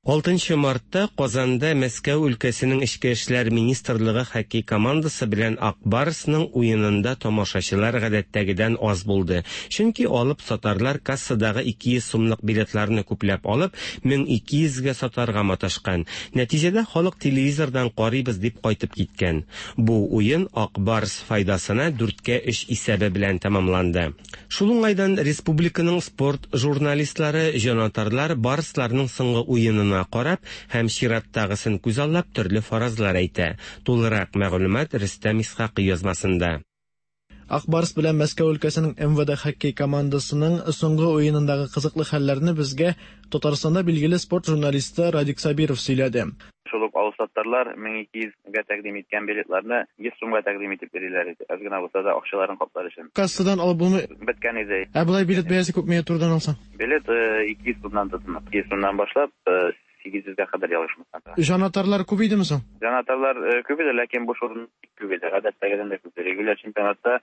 6 мартта Казанда Мәскәү өлкәсенең Эчке эшләр министрлыгы хоккей командасы белән Ак Барсның уенында тамашачылар гадәттәгедән аз булды. Чөнки алып сатарлар кассадагы 200 сумлык билетларны күпләп алып, 1200 гә сатарга маташкан. Нәтиҗәдә халык телевизордан карыйбыз дип кайтып киткән. Бу уен Ак Барс файдасына 4-кә 3 исәбе белән тәмамланды. Шул уңайдан республиканың спорт журналистлары, җанатарлар Барсларның соңгы уенына карап һәм чираттагысын күзаллап төрле фаразлар әйтә. Тулырак мәгълүмат Рөстәм Исхакый язмасында. Ак Барс белән Мәскәү өлкәсенең МВД хоккей командасының соңгы уенындагы кызыклы хәлләрне безгә Татарстанда билгеле спорт журналисты Радик Сабиров сөйләде. Шул ук алсаттарлар 1200 гә тәкъдим иткән билетларны 100 сумга тәкъдим итеп йөриләр иде. Әз генә булса да акчаларын каплар өчен. Кассадан алып булмый. Беткән иде. Ә болай билет бәясе күпмегә турыдан алсаң? Билет 200 сумнан тотына. 200 сумнан башлап 800 гә кадәр ялгышмасам. Җанатарлар күп идеме соң? Җанатарлар күп иде, ләкин буш урын күп иде. Гадәттәгедән дә күп. Регуляр чемпионатта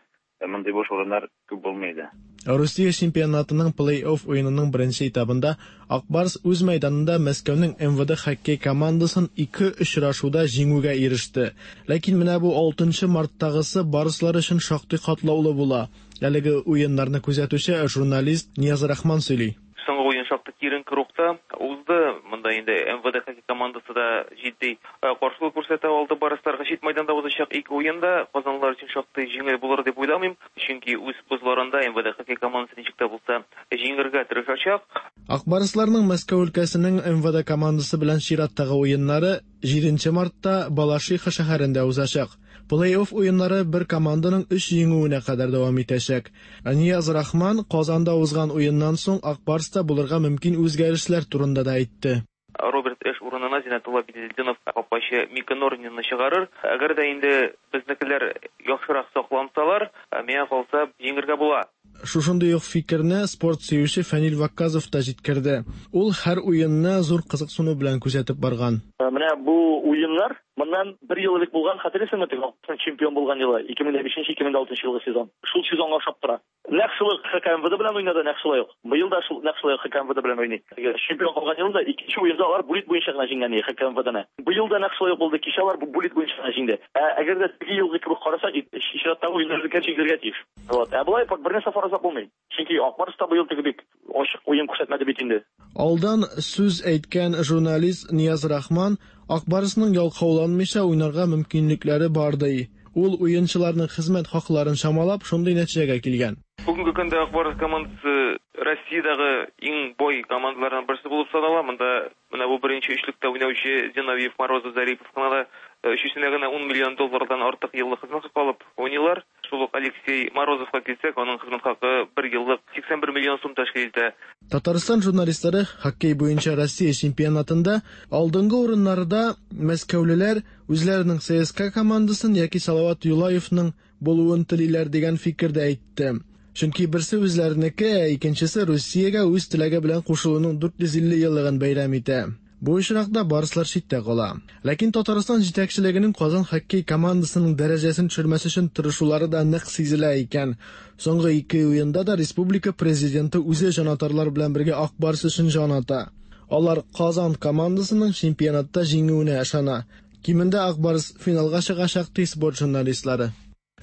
мондый буш урыннар күп булмый иде. Русия чемпионатының плей-офф уенының беренче этабында Ак Барс үз мәйданында Мәскәүнең МВД хоккей командасын ике очрашуда җиңүгә иреште. Ләкин менә бу 6 марттагысы барслар өчен шактый катлаулы була. Әлеге уеннарны күзәтүче журналист Нияз Рахман сөйли. Соңгы уен шактый киеренке рухта узды. Монда инде МВД хоккей командасы да җитди каршылык күрсәтә алды барсларга. Чит майданда узачак ике уенда казанлылар өчен шактый җиңел булыр дип уйламыйм. Чөнки үз бозларында МВД хоккей командасы ничек тә булса җиңергә тырышачак. Ак Барсларның Мәскәү өлкәсенең МВД командасы белән чираттагы уеннары 7 мартта Балашиха шәһәрендә узачак. Плей-офф уеннары бер команданың 3 җиңүенә кадәр дәвам итәчәк. Нияз Рахман Казанда узган уеннан соң Ак Барста булырга мөмкин үзгәрешләр турында да әйтте. Роберт Эш урынына Зиннәтулла Беделдинов капкачы Мика Норнинны чыгарыр. Әгәр дә инде безнекеләр яхшырак саклансалар, миңа калса җиңергә була. Шушындый ук фикерне спорт сөюче Фәнил Вакказов та җиткерде. Ул һәр уенны зур кызыксыну белән күзәтеп барган. Менә бу уеннар моннан бер ел элек булган, хәтерлисеңме, теге Алтын чемпион булган елы, 2005-2006 елгы сезон. Шул сезонга охшап тора. Нәкъ шул ук ХКМВД белән уйнады, нәкъ шулай ук. Быел да шул нәкъ шулай ук ХКМВД белән уйный. Теге чемпион калган елында икенче уенда алар булит буенча гына җиңгән иде ХКМВДны. Быел да нәкъ шулай ук булды, кичә алар булит буенча гына җиңде. Ә әгәр дә теге елгы кебек карасак, чираттагы уеннар җиңелергә тиеш. Вот. Ә болай бер нәрсә фаразлап булмый. Чөнки Ак Барс та быел теге бик ачык уен күрсәтмәде бит инде. Алдан сүз әйткән журналист Нияз Рахман Ак Барсның ялкауланмыйча уйнарга мөмкинлекләре бар ди. Ул уенчыларның хезмәт хакларын чамалап шундый нәтиҗәгә килгән. Бүгенге көндә Ак Барс командасы Россиядәге иң бай командаларның берсе булып санала. Монда менә бу беренче өчлектә уйнаучы Зиновьев, Морозов, Зарипов кына да өчесенә генә 10 миллион доллардан артык еллык хезмәт хакы алып уйныйлар. Шул ук Алексей Морозовка килсәк, аның хезмәт хакы бер еллык 81 миллион сум тәшкил итә. Татарстан журналистлары хоккей буенча Россия чемпионатында алдынгы урыннарда мәскәүлеләр үзләренең ЦСКА командасын яки Салават Юлаевның булуын телиләр дигән фикердә әйтте. Чөнки берсе үзләренеке, ә икенчесе Русиягә үз теләге белән кушылуның 450 еллыгын бәйрәм итә. Бу очракта барслар читтә кала. Ләкин Татарстан җитәкчелегенең Казан хоккей командасының дәрәҗәсен төшермәс өчен тырышулары да нык сизелә икән. Соңгы ике уенда да республика президенты үзе җанатарлар белән бергә Ак Барс өчен җан ата. Алар Казан командасының чемпионатта җиңүенә ышана. Кимендә Ак Барс финалга чыгачак, ди спорт журналистлары.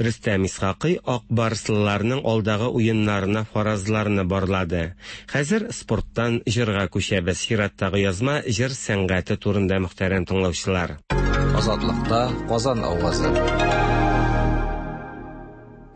Рөстәм Исхакый Ак Барслыларның алдагы уеннарына фаразларны барлады. Хәзер спорттан җырга күчәбез. Чираттагы язма җыр сәнгате турында, мөхтәрәм тыңлаучылар. Азатлыкта Казан авазы.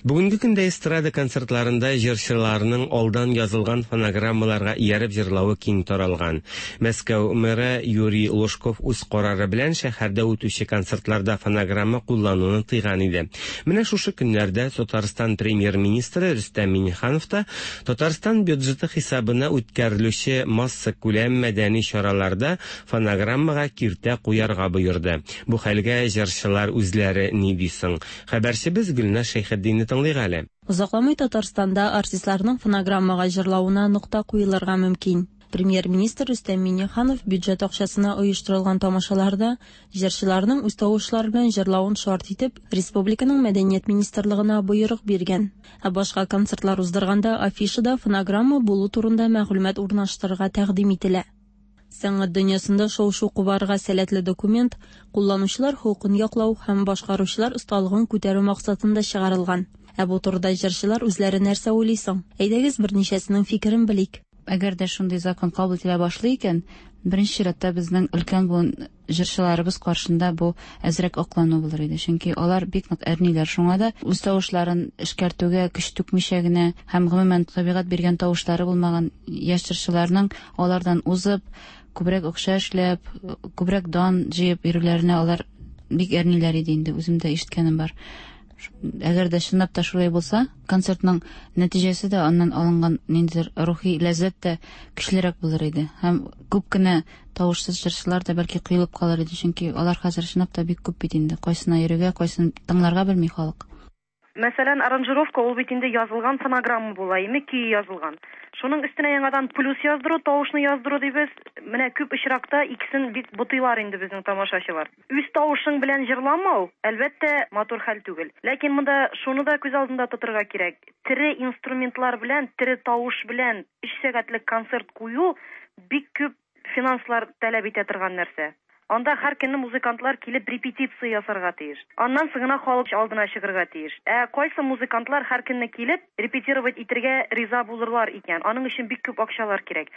Бүгенге көндә эстрада концертларында җырчыларның алдан язылган фонограммаларга ияреп җырлавы киң таралган. Мәскәү мэры Юрий Лужков үз карары белән шәһәрдә үтүче концертларда фонограмма куллануны тыйган иде. Менә шушы көннәрдә Татарстан премьер-министры Рөстәм Миңнеханов та Татарстан бюджеты хисабына үткәрелүче массакүләм мәдәни чараларда фонограммага киртә куярга боерды. Бу хәлгә җырчылар үзләре ни ди соң? Хәбәрчебез Гөлназ Шәйхетдинне тыңлыйк әле. Озакламый Татарстанда артистларның фонограммага җырлавына нокта куелырга мөмкин. Премьер-министр Рөстәм Миңнеханов бюджет акчасына оештырылган тамашаларда җырчыларның үз тавышлары белән җырлавын шарт итеп, республиканың Мәдәният министрлыгына боерык биргән. Ә башка концертлар уздырганда афишада фонограмма булу турында мәгълүмат урнаштырырга тәкъдим ителә. Сәнгать дөньясында шау-шу кубарырга сәләтле документ кулланучылар хокукын яклау һәм башкаручылар осталыгын күтәрү максатында чыгарылган. Ә бу турыда җырчылар үзләре нәрсә уйлый соң? Әйдәгез, берничәсенең фикерен белик. Әгәр дә шундый закон кабул ителә башлый икән, беренче чиратта безнең өлкән буын җырчыларыбыз каршында бу әзрәк аклану булыр иде. Чөнки алар бик нык әрниләр. Шуңа да үз тавышларын эшкәртүгә көч түкмичә генә һәм гомумән табигать биргән тавышлары булмаган яшь җырчыларның алардан узып, күбрәк акча эшләп, күбрәк дан җыеп йөрүләренә алар бик әрниләр иде инде. Үзем дә ишеткәнем бар. Әгәр дә чынлап та шулай булса, концертның нәтиҗәсе дә, аннан алынган ниндидер рухи ләззәт тә көчлерәк булыр иде. Һәм күп кенә тавышсыз җырчылар да бәлки коелып калыр иде, чөнки алар хәзер чынлап та бик күп бит инде. Кайсына йөрергә, кайсын тыңларга белми халык. Мәсәлән, аранжировка ул бит инде язылган фонограмма була, име көе язылган. Шуның өстенә яңадан плюс яздыру, тавышны яздыру дибез. Менә күп очракта икесен бик бутыйлар инде безнең тамашачылар. Үз тавышың белән җырламау, әлбәттә, матур хәл түгел. Ләкин монда шуны да күз алдында тотырга кирәк. Тере инструментлар белән, тере тавыш белән өч сәгатьлек концерт кую бик күп финанслар таләп итә торган нәрсә. Анда һәр көнне музыкантлар килеп репетиция ясарга тиеш. Аннан соң гына халык алдына чыгырга тиеш. Ә кайсы музыкантлар һәр көнне килеп репетировать итергә риза булырлар икән? Аның өчен бик күп акчалар кирәк.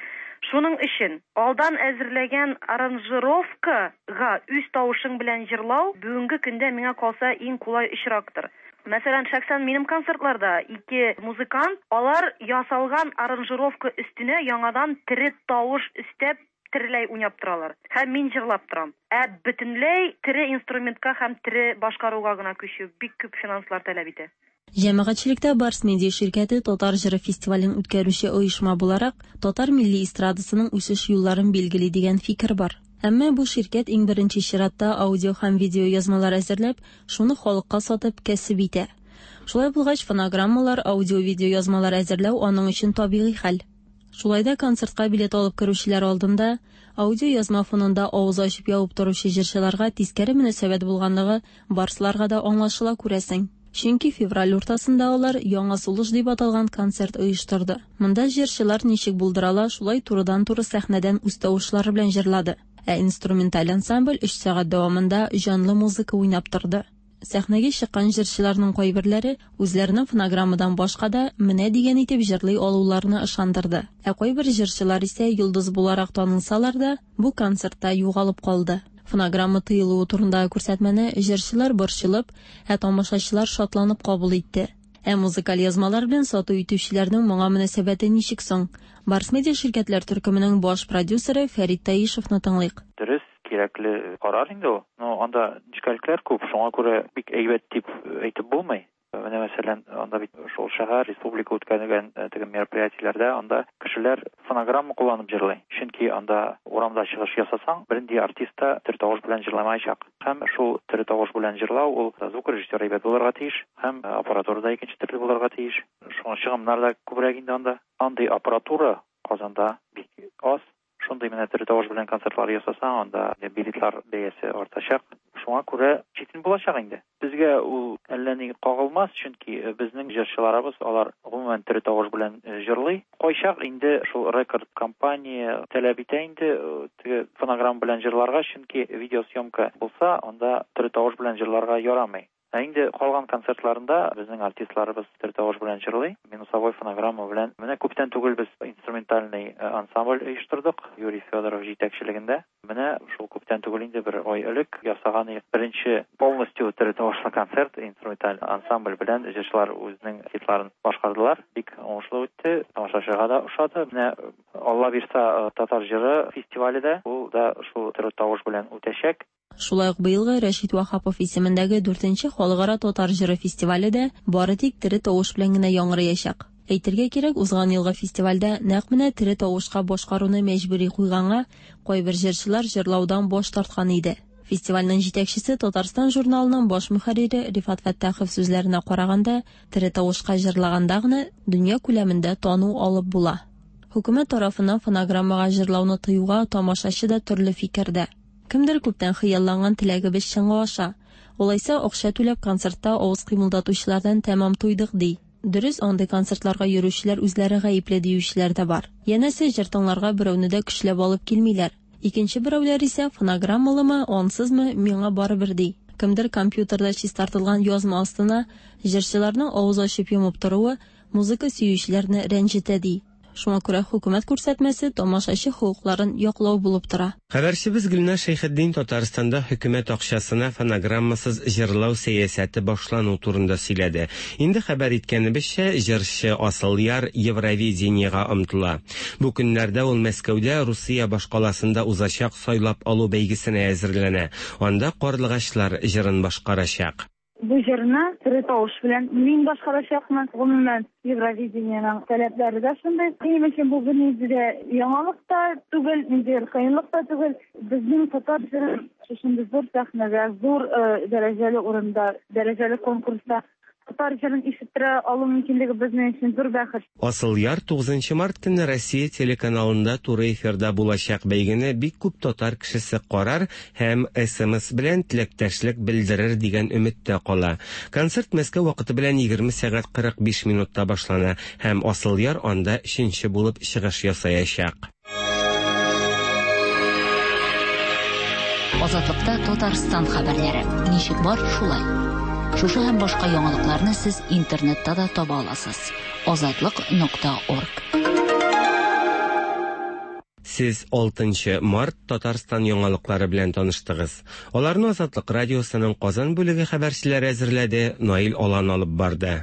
Шуның өчен алдан әзерләгән аранжировкага үз тавышың белән җырлау бүгенге көндә миңа калса иң кулай очрактыр. Мәсәлән, шәхсән минем концертларда ике музыкант, алар ясалган аранжировка өстенә яңадан тере тавыш өстәп тереләй уйнап торалар. Һәм мин җырлап торам. Ә бөтенләй тере инструментка һәм тере башкаруга гына күчү бик күп финанслар таләп итә. Җәмәгатьчелектә Барс Медиа ширкәте Татар җыры фестивален үткәрүче оешма буларак, татар милли эстрадасының үсеш юлларын билгели дигән фикер бар. Әмма бу ширкәт иң беренче чиратта аудио һәм видео язмалар әзерләп, шуны халыкка сатып кәсеп итә. Шулай булгач, фонограммалар, аудио-видео язмалар әзерләү аның өчен табигый хәл. Шулай да концертка билет алып керүчеләр алдында аудиоязма фонында авыз ачып ябып торучы җырчыларга тискәре мөнәсәбәт булганлыгы барсларга да аңлашыла, күрәсең. Чөнки февраль уртасында алар Яңа сулыш дип аталган концерт оештырды. Монда җырчылар ничек булдыра ала, шулай турыдан-туры сәхнәдән үз тавышлары белән җырлады. Ә инструменталь ансамбль 3 сәгать дәвамында җанлы музыка уйнап торды. Сәхнәгә чыккан җырчыларның кайберләре үзләренең фонограммадан башка да менә дигән итеп җырлый алуларына ышандырды. Ә кайбер җырчылар исә йолдыз буларак танылсалар да, бу концертта югалып калды. Фонограмма тыелуы турындагы күрсәтмәне җырчылар борчылып, ә тамашачылар шатланып кабул итте. Ә музыкаль язмалар белән сату итүчеләрнең моңа мөнәсәбәте ничек соң? Барс Медиа ширкәтләр төркеменең баш продюсеры Фәрит Таишевны тыңлыйк. Дөрес, кирәкле карар инде ул. Но анда нечкәлекләр күп, шуңа күрә бик әйбәт дип әйтеп булмый. Менә мәсәлән, анда бит шул шәһәр, республика үткәргән теге мероприятиеләрдә анда кешеләр фонограмма кулланып җырлый. Чөнки анда урамда чыгыш ясасаң, бернинди артист та тере тавыш белән җырламаячак. Һәм шул тере тавыш белән җырлау ул звукорежиссер әйбәт булырга тиеш, һәм аппаратура да икенче төрле булырга тиеш. Шуңа чыгымнар да күбрәк инде анда. Андый аппаратура Казанда бик аз. Шундый менә тере тавыш белән концертлар ясасаң, анда билетлар бәясе артачак. Шуңа күрә читен булачак инде. Безгә ул әллә ни кагылмас, чөнки безнең җырчыларыбыз алар гомумән тере тавыш белән җырлый. Кайчак инде шул рекорд компания таләп итә инде теге фонограмма белән җырларга, чөнки видеосъемка булса, анда тере тавыш белән җырларга ярамый. Ә инде калган концертларында безнең артистларыбыз тере тавыш белән җырлый, минусовой фонограмма белән. Менә күптән түгел без инструментальный ансамбль оештырдык, Юрий Федоров җитәкчелегендә. Менә шул күптән түгел инде, бер ай элек ясаган идек беренче полностью тере тавышлы концерт, инструменталь ансамбль белән җырчылар үзенең хитларын башкардылар. Бик уңышлы үтте, тамашачыга да ошады. Менә Алла бирса, Татар җыры фестивале дә, ул да шул тере тавыш белән үтәчәк. Шулай ук быелгы Рәшит Ваһапов исемендәге дүртенче Халыкара татар җыры фестивале дә бары тик тере тавыш белән генә яңгыраячак. Әйтергә кирәк, узган елгы фестивальдә нәкъ менә тере тавышка башкаруны мәҗбүри куйганга, кайбер җырчылар җырлаудан баш тарткан иде. Фестивальнең җитәкчесе, Татарстан журналының баш мөхәррире Рифат Фәттахов сүзләренә караганда, тере тавышка җырлаганда гына дөнья күләмендә тану алып була. Хөкүмәт тарафыннан фонограммага җырлауны тыюга тамашачы да төрле фикердә. Кемдер күптән хыялланган теләгебез чынга аша. Алайса, акча түләп концертта авыз кыймылдатучылардан тәмам туйдык, ди. Дөрес, андый концертларга йөрүчеләр үзләре гаепле диючеләр дә бар. Янәсе, җыр тыңларга берәүне дә көчләп алып килмиләр. Икенче берәүләр исә, фонограммалымы, ансызмы, миңа барыбер, ди. Кемдер компьютерда чистартылган язма астына җырчыларның авыз ачып йомып торуы музыка сөючеләрне рәнҗетә, ди. Шуңа күрә хөкүмәт күрсәтмәсе тамашачы хокукларын яклау булып тора. Хәбәрчебез Гөлназ Шәйхетдин Татарстанда хөкүмәт акчасына фонограммасыз җырлау сәясәте башлану турында сөйләде. Инде хәбәр иткәнебезчә, җырчы Асылъяр Евровидениегә омтыла. Бу көннәрдә ул Мәскәүдә Русия башкаласында узачак сайлап алу бәйгесенә әзерләнә. Анда Карлыгачлар җырын башкарачак. Бу җырны тере тавыш белән мин башкарачакмын. Гомумән, Евровидениенең таләпләре дә шундый. Минем өчен бу бернинди дә яңалык та түгел, ниндидер кыенлык та түгел. Безнең татар җырын шушындый зур сәхнәдә, зур дәрәҗәле урында, дәрәҗәле конкурста татар җырын ишеттерә алу мөмкинлеге безнең өчен зур бәхет. Асылъяр тугызынчы март көнне Россия телеканалында туры эфирда булачак бәйгене бик күп татар кешесе карар һәм смс белән теләктәшлек белдерер дигән өметтә кала. Концерт Мәскәү вакыты белән 20 сәгать 45 минутта башлана һәм Асылъяр анда өченче булып чыгыш ясаячак. Азатлыкта Татарстан хәбәрләре. Ничек бар, шулай. Шушы һәм башка яңалыкларны сез интернетта да таба аласыз. Азатлык.орг. Сез 6 март Татарстан яңалыклары белән таныштыгыз. Аларны Азатлык радиосының Казан бүлеге хәбәрчеләре әзерләде, Наил Алан алып барды.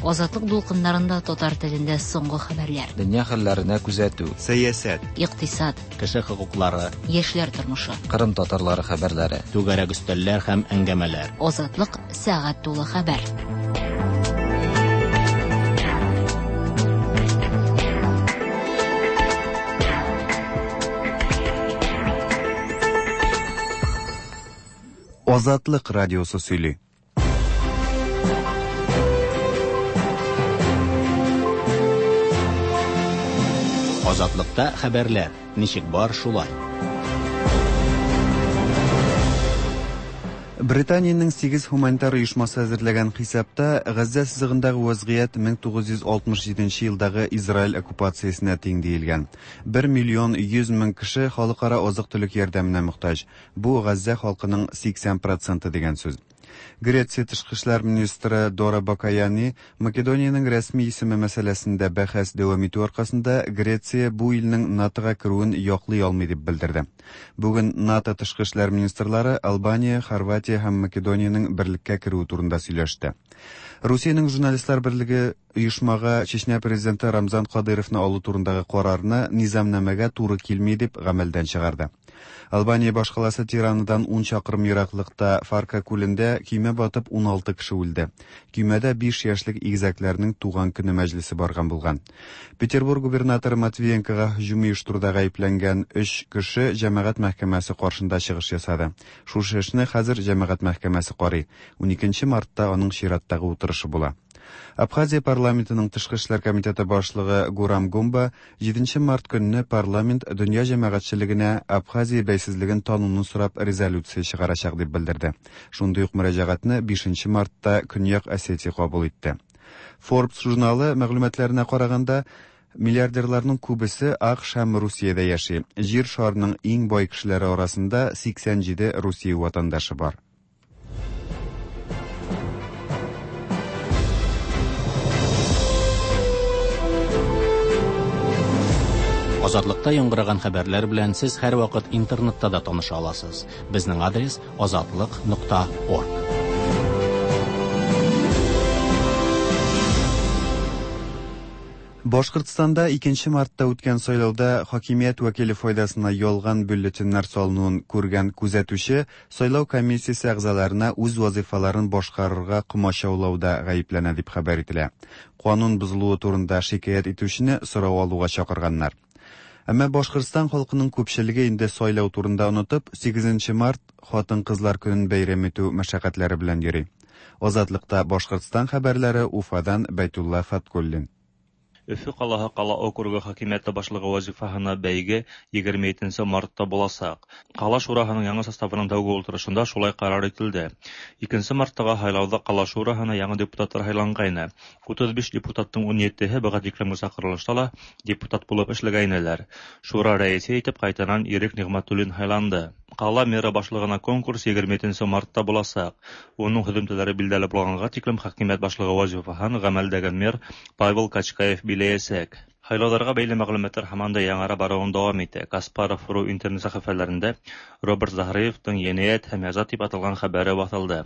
Азатлык дулкыннарында татар телендә соңгы хәбәрләр. Дөнья хәлләренә күзәтү. Сәясәт. Икътисад. Кеше хокуклары. Яшьләр тормышы. Кырым татарлары хәбәрләре. Түгәрәк өстәлләр һәм әңгәмәләр. Азатлык сәгать тулы хәбәр. Азатлык радиосы сөйли. Азатлыкта хәбәрләр ничек бар шулай. Британиянең 8 һуманитар оешмасы әзерләгән хисапта Газзә сызыгындагы вазгыять 1967 елдагы Израиль оккупациясенә тиң диелгән. 1 миллион 100 мең кеше халыкара азык-төлек ярдәменә мохтаҗ. Бу Газзә халкының 80 проценты дигән сүз. Греция тышкы эшләр министры Дора Бакаяни Македониянең рәсми исеме мәсьәләсендә бәхәс дәвам итү аркасында Греция бу илнең НАТОга керүен яклый алмый дип белдерде. Бүген НАТО тышкы эшләр министрлары Албания, Хорватия һәм Македониянең берлеккә керүе турында сөйләште. Русиянең журналистлар берлеге оешмага Чечня президенты Рамзан Кадыйровны алу турындагы карарны низамнамәгә туры килми дип гамәлдән чыгарды. Албания башкаласы Тиранадан 10 чакрым ераклыкта Фарка күлендә көймә батып 16 кеше үлде. Көймәдә 5 яшьлек игезәкләрнең туган көне мәҗлесе барган булган. Петербург губернаторы Матвиенкога һөҗүм оештыруда гаепләнгән өч кеше җәмәгать мәхкәмәсе каршында чыгыш ясады. Шушы эшне хәзер җәмәгать мәхкәмәсе карый. 12 мартта аның чираттагы утырышы була. Абхазия парламентының тышкы эшләр комитеты башлыгы Гурам Гумба 7 март көнне парламент дөнья җәмәгатьчелегенә Абхазия бәйсезлеген тануны сорап резолюция чыгарачак дип белдерде. Шундый ук мөрәҗәгатьне 5 мартта Көньяк Осетия кабул итте. Forbes журналы мәгълүматларына караганда, миллиардерларның күбесе АКШ һәм Русиядә яши. Җир шарының иң бай кешеләре арасында 87 Русия ватандашы бар. Азатлыкта яңгыраган хәбәрләр белән сез һәрвакыт интернетта да таныша аласыз. Безнең адрес азатлык.орг. Башкортстанда 2 мартта үткән сайлауда хакимият вәкиле файдасына ялган бюллетеньнәр салынуын күргән күзәтүче сайлау комиссиясе әгъзаларына үз вазифаларын башкарырга комачаулауда гаепләнә дип хәбәр ителә. Канун бозылуы турында шикаять итүчене сорау алуга чакырганнар. Әмма Башкортстан халкының күпчелеге инде сайлау турында онытып, 8 март хатын-кызлар көнен бәйрәм итү мәшәкатьләре белән йөри. Азатлыкта Башкортстан хәбәрләре Уфадан Бәйтулла Фаткуллин. Өфө ҡалаһы ҡала округы хакимиәте башлығы вазифаһына бәйге 27 мартта буласаҡ. Ҡала шураһының яңы составының тәүге ултырышында шулай ҡарар ителде. 2 марттағы һайлауҙа ҡала шураһына яңы депутаттар һайланғайны. 35 депутаттың 17-һе быға тиклемге саҡырылышта ла депутат булып эшләгәйнеләр. Шура рәйесе итеп ҡайтанан Ирек Ниғмәтуллин һайланды. Ҡала мэры башлығына конкурс 27 мартта буласаҡ. Уның һөҙөмтәләре билдәле булғанға тиклем хакимиәт башлығы вазифаһын ғәмәлдәге мэр Павел Качкаев биләйәсәк. Һайлауҙарға бәйле мәғлүмәттәр һаман да яңара барыуын дауам итә. Каспаров.ру интернет сәхифәләрендә Роберт Заһриевтың енәйәт һәм яза тип аталған хәбәре баҫылды.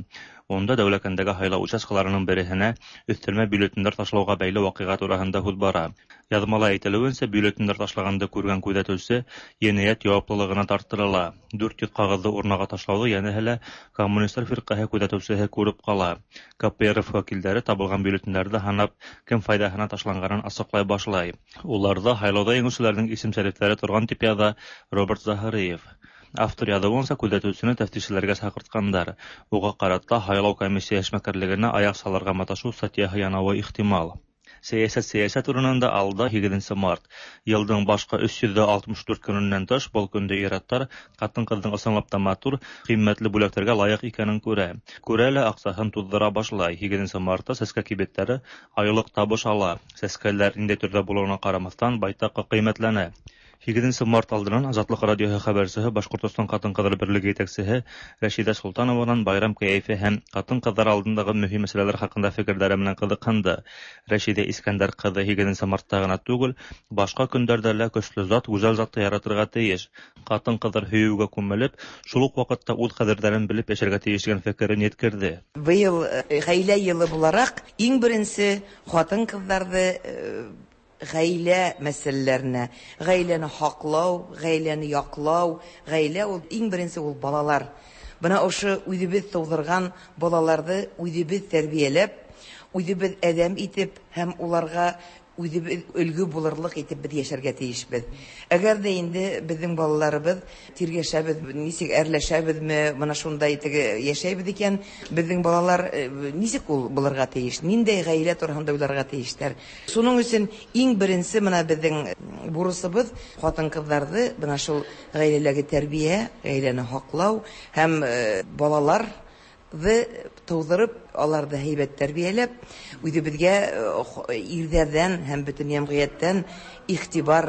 Унда Дәүләкәндәге һайлау участкаларының береһенә өҫтәлмә бюллетендәр ташлауға бәйле ваҡиға тураһында һүҙ бара. Яҙмала әйтелеүенсә, бюллетендәр ташлағанды күргән күҙәтеүсе енәйәт яуаплылығына тарттырыла. 400 ҡағыҙҙы урнаға ташлауҙы йәнәһе лә коммунистар фирҡәһе күҙәтеүсеһе күреп ҡала. КПРФ вәкилдәре табылған бюллетендәрҙе һанап, кем файҙаһына ташланғанын асыҡлай башлай. Уларҙа һайлауҙа еңеүселәрҙең исем-шәрифтәре торған тип яҙа Роберт Заһриев. Автор яҙыуынса, күҙәтеүсене тәфтишселәргә саҡыртҡандар. Уға ҡарата һайлау комиссия эшмәкәрлегенә аяҡ салырға маташыу статьяһы янауы ихтимал. Сәйәсәт сәйәсәт урынында алда 8 март. Йылдың башҡа 364 көнөнән тыш был көндә ир-аттар ҡатын-ҡыҙҙың ысынлап та матур, ҡиммәтле бүләктәргә лайыҡ икәнен күрә. Күрә лә аҡсаһын туҙҙыра башлай. 8 мартта сәскә кибеттәре айлыҡ табыш ала. Сәскәләр ниндәй төрҙә булыуына ҡарамаҫтан байтаҡ ҡиммәтләнә. 8 март алдынан Азатлыҡ радиоһы хәбәрсеһе Башҡортостан ҡатын-ҡыҙҙар берлеге етәксеһе Рәшиҙә Солтанованан байрам кәйефе һәм ҡатын-ҡыҙҙар алдындағы мөһим мәсьәләләр хаҡында фекерҙәре менән ҡыҙыҡһынды. Рәшиҙә Искәндәр ҡыҙы 8 мартта ғына түгел, башҡа көндәрҙә лә көслө зат, гүзәл затты яратырға тейеш. Ҡатын-ҡыҙҙар һөйөүгә күмелеп, шул уҡ ваҡытта үҙ ҡәҙерҙәрен белеп йәшәргә тейеш тигән фекерен еткерҙе. Быйыл ғаилә йылы булараҡ иң беренсе ҡатын-ҡыҙҙарҙы ғаилә мәсьәләләренә, ғаиләне һаҡлау, ғаиләне яҡлау, ғаилә ул иң беренсе ул балалар. Бына ошо үҙебеҙ тыуҙырған балаларҙы үҙебеҙ тәрбиәләп, үҙебеҙ әҙәм итеп һәм уларға үҙебеҙ өлгө булырлыҡ итеп беҙ йәшәргә тейешбеҙ. Әгәр ҙә инде беҙҙең балаларыбыҙ тиргәшәбеҙ, нисек әрләшәбеҙме, бына шундай теге йәшәйбеҙ икән, беҙҙең балалар нисек ул булырға тейеш, ниндәй ғаилә тураһында уйларға тейештәр. Шуның өсөн иң беренсе бына беҙҙең бурысыбыҙ ҡатын-ҡыҙҙарҙы бына шул ғаиләләге тәрбиә, ғаиләне һаҡлау һәм балалар тыуҙырып, аларҙы һәйбәт тәрбиәләп, үҙебеҙгә ирҙәрҙән һәм бөтөн йәмғиәттән иғтибар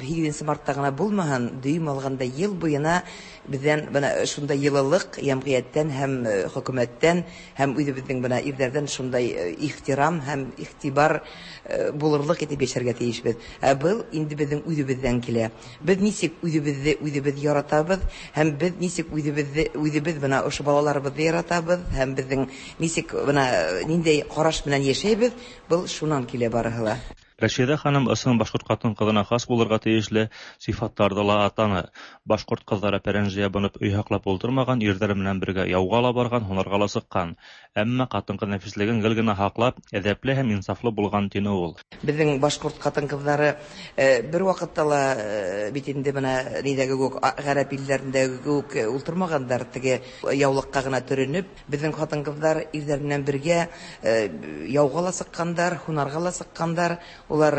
8 мартта ғына булмаһын, дөйөм алғанда йыл буйына беҙҙән бына шундай йылылыҡ йәмғиәттән һәм хөкүмәттән һәм үҙебеҙҙең бына ирҙәрҙән шундай ихтирам һәм иғтибар булырлыҡ итеп йәшәргә тейешбеҙ. Ә был инде беҙҙең үҙебеҙҙән килә. Беҙ нисек үҙебеҙҙе үҙебеҙ яратабыҙ һәм беҙ нисек үҙебеҙҙе үҙебеҙ бына ошо балаларыбыҙҙы яратабыҙ һәм беҙҙең нисек бына ниндәй ҡараш менән йәшәйбеҙ, был шунан килә барыһы ла. Рәшидә ханым ысын башкорт хатын-кызына хас булырга тиешле сыйфатларҙы ла атаны. Башҡорт ҡыҙҙары пәрәнже ябынып өй һаҡлап ултырмаған, ирҙәре менән бергә яуға ла барған, һунарға ла сыҡҡан. Әммә ҡатын-ҡыҙ нәфислеген гел генә һаҡлап, әҙәпле һәм инсафлы булған, тине ул. Беҙҙең башҡорт ҡатын-ҡыҙҙары бер ваҡытта ла бит инде бына ниҙәге кеүек, ғәрәп илдәрендәге кеүек ултырмағандар, теге яулыҡҡа ғына төрөнөп. Беҙҙең ҡатын-ҡыҙҙар ирҙәр менән бергә яуға ла сыҡҡандар, һунарға ла сыҡҡандар, улар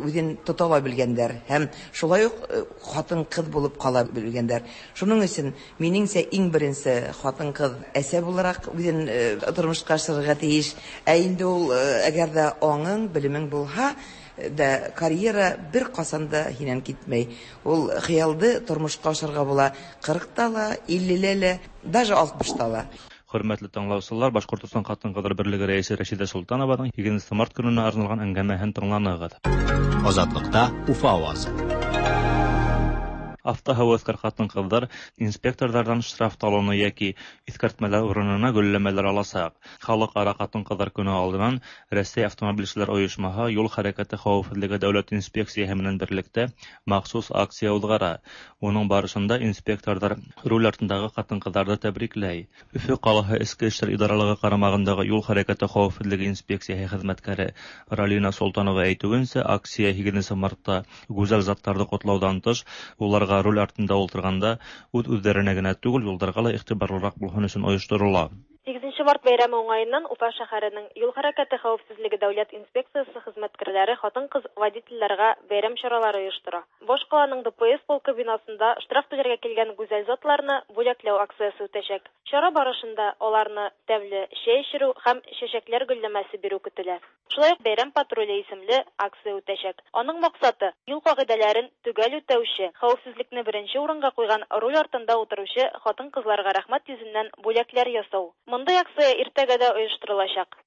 үҙен тота ла белгәндәр һәм шулай уҡ ҡатын-ҡыҙ булып ҡала белгәндәр. Шуның өсөн минеңсә иң беренсе ҡатын-ҡыҙ әсә булараҡ үҙен тормошҡа ашырырға тейеш. Ә инде ул әгәр ҙә аңың, белемең булһа, да карьера бер ҡасан да һинән китмәй. Ул хыялды тормошҡа ашырға була 40-та ла, 50-лә лә, даже 60-та ла. Хөрмәтле тыңлаусылар, Башҡортостан Ҡатын-ҡыҙҙар берлеге рәйесе Рәшидә Солтанованың 8 март көнөнә арналған әңгәмәһен тыңланығыҙ. Азатлыкта Уфа авазы. Автоһәүәҫкәр ҡатын-ҡыҙҙар инспекторҙарҙан штраф талоны йәки иҫкәртмәләр урынына гөлләмәләр аласаҡ. Халыҡ-ара ҡатын-ҡыҙҙар көнө алдынан Рәсәй автомобилселәр ойошмаһы юл хәрәкәте хәүефһеҙлеге дәүләт инспекцияһы менән берлектә махсус акция уҙғара. Уның барышында инспекторҙар руль артындағы ҡатын-ҡыҙҙарҙы тәбрикләй. Өфө ҡалаһы Эске эштәр идаралығы ҡарамағындағы юл хәрәкәте хәүефһеҙлеге инспекцияһы хеҙмәткәре Ралина Солтанова әйтеүенсә, акция 8 мартта гүзәл заттарҙы ҡотлауҙан тыш, уларға руль артында ултырғанда үҙ-үҙҙәренә генә түгел, юлдарға ла иғтибарлыраҡ булһын өсөн ойошторола. 8 март бәйрәме уңайыннан Уфа шәһәренең юл хәрәкәте хәүефһеҙлеге дәүләт инспекциясы хеҙмәткәрләре хатын-ҡыҙ водительләргә бәйрәм чаралары ойоштора. Баш ҡаланың ДПС полкы бинасында штраф түләргә килгән гүзәл затларны бүләкләү акциясы үтәсәк. Чара барышында аларны тәмле чәй эчерү һәм чәчәкләр гөлләмәсе бирү көтөлә. Шулай уҡ бәйрәм патруле исемле акция үтәсәк. Аның маҡсаты юл ҡағиҙәләрен төгәл үтәүсе, хәүефһеҙлекне беренсе урынға ҡуйған руль артында ултырыусы хатын-ҡыҙларға рәхмәт йөҙөннән бүләкләр ясау. Мондый акция иртәгә дә ойоштороласаҡ.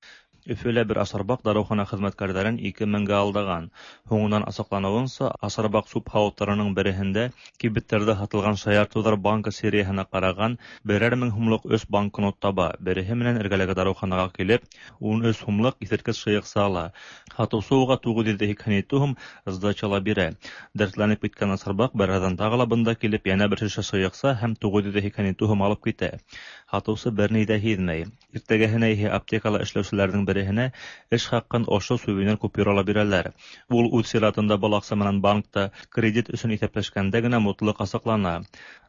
Өфөлә бер асарбаҡ дарыухана хеҙмәткәрҙәрен 2 меңгә алдаған. Һуңынан асыҡланыуынса, асарбаҡ сүп һауыттарының береһендә кибеттәрҙә һатылған шаяртыуҙар банка серияһына ҡараған берәр мең һумлыҡ 3 банкнот таба. Береһе менән эргәләге дарыуханаға килеп, 13 һумлыҡ иҫерткес шыйыҡса ала. Һатыусы уға 987 һум сдача ла бирә. Дәртләнеп киткән асарбаҡ бераҙҙан тағы ла бында килеп, йәнә бер шешә шыйыҡса һәм 987 һум алып китә. Һатыусы бер ни ҙә һиҙмәй. Иртәгәһенә иһә аптекала эшләүселәрҙең береһенә эш хаҡын ошо сувенир купюрала бирәләр. Ул үҙ сиратында был аҡса менән банкта кредит өсөн иҫәпләшкәндә генә мутлыҡ асыҡлана.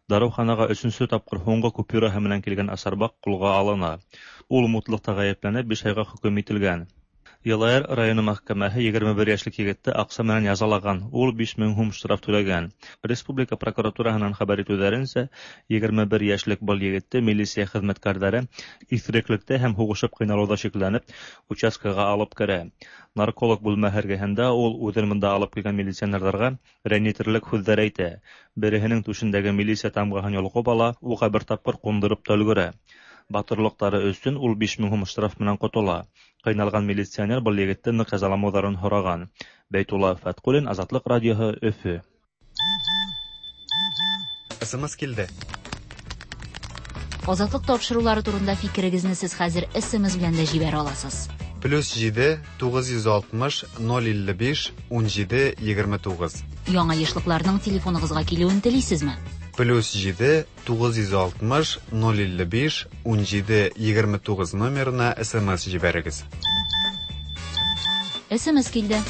Дарыуханаға 3-нсө тапҡыр һуңғы купюраһы менән килгән асарбаҡ ҡулға алына. Ул мутлыҡта ғәйепләнеп 5 айға хөкөм ителгән. Йылайыр районы мәхкәмәһе 21 йәшлек егетте аҡса менән язалаған. Ул 5000 һум штраф түләгән. Республика прокуратураһынан хәбәр итеүҙәренсә, 21 йәшлек был егетте милиция хеҙмәткәрҙәре иҫереклектә һәм һуғышып ҡыйналыуҙа шикләнеп участкаға алып керә. Нарколог бүлмәһе эргәһендә ул үҙен бында алып килгән милиционерҙарға рәнйетерлек һүҙҙәр әйтә. Береһенең түшендәге милиция тамғаһын йолҡоп ала, уға бер тапҡыр ҡундырып та өлгөрә. Батырлыҡтары өсөн ул 5000 һум штраф менән ҡотола. Ҡыйналған милиционер был егетте ныҡ язаламауҙарын һораған. Бәйтулла Фәтҡуллин, Азатлыҡ радиоһы, Өфө. СМС килде. Азатлыҡ тапшырыулары турында фикерегеҙҙе һеҙ хәҙер СМС белән дә җибәрә аласыз. +7 960 055 17 29. Яңа ешлыкларның телефоныгызга килүен телисезме? +7 960 055 17 29 номерына СМС җибәрегез. СМС килде.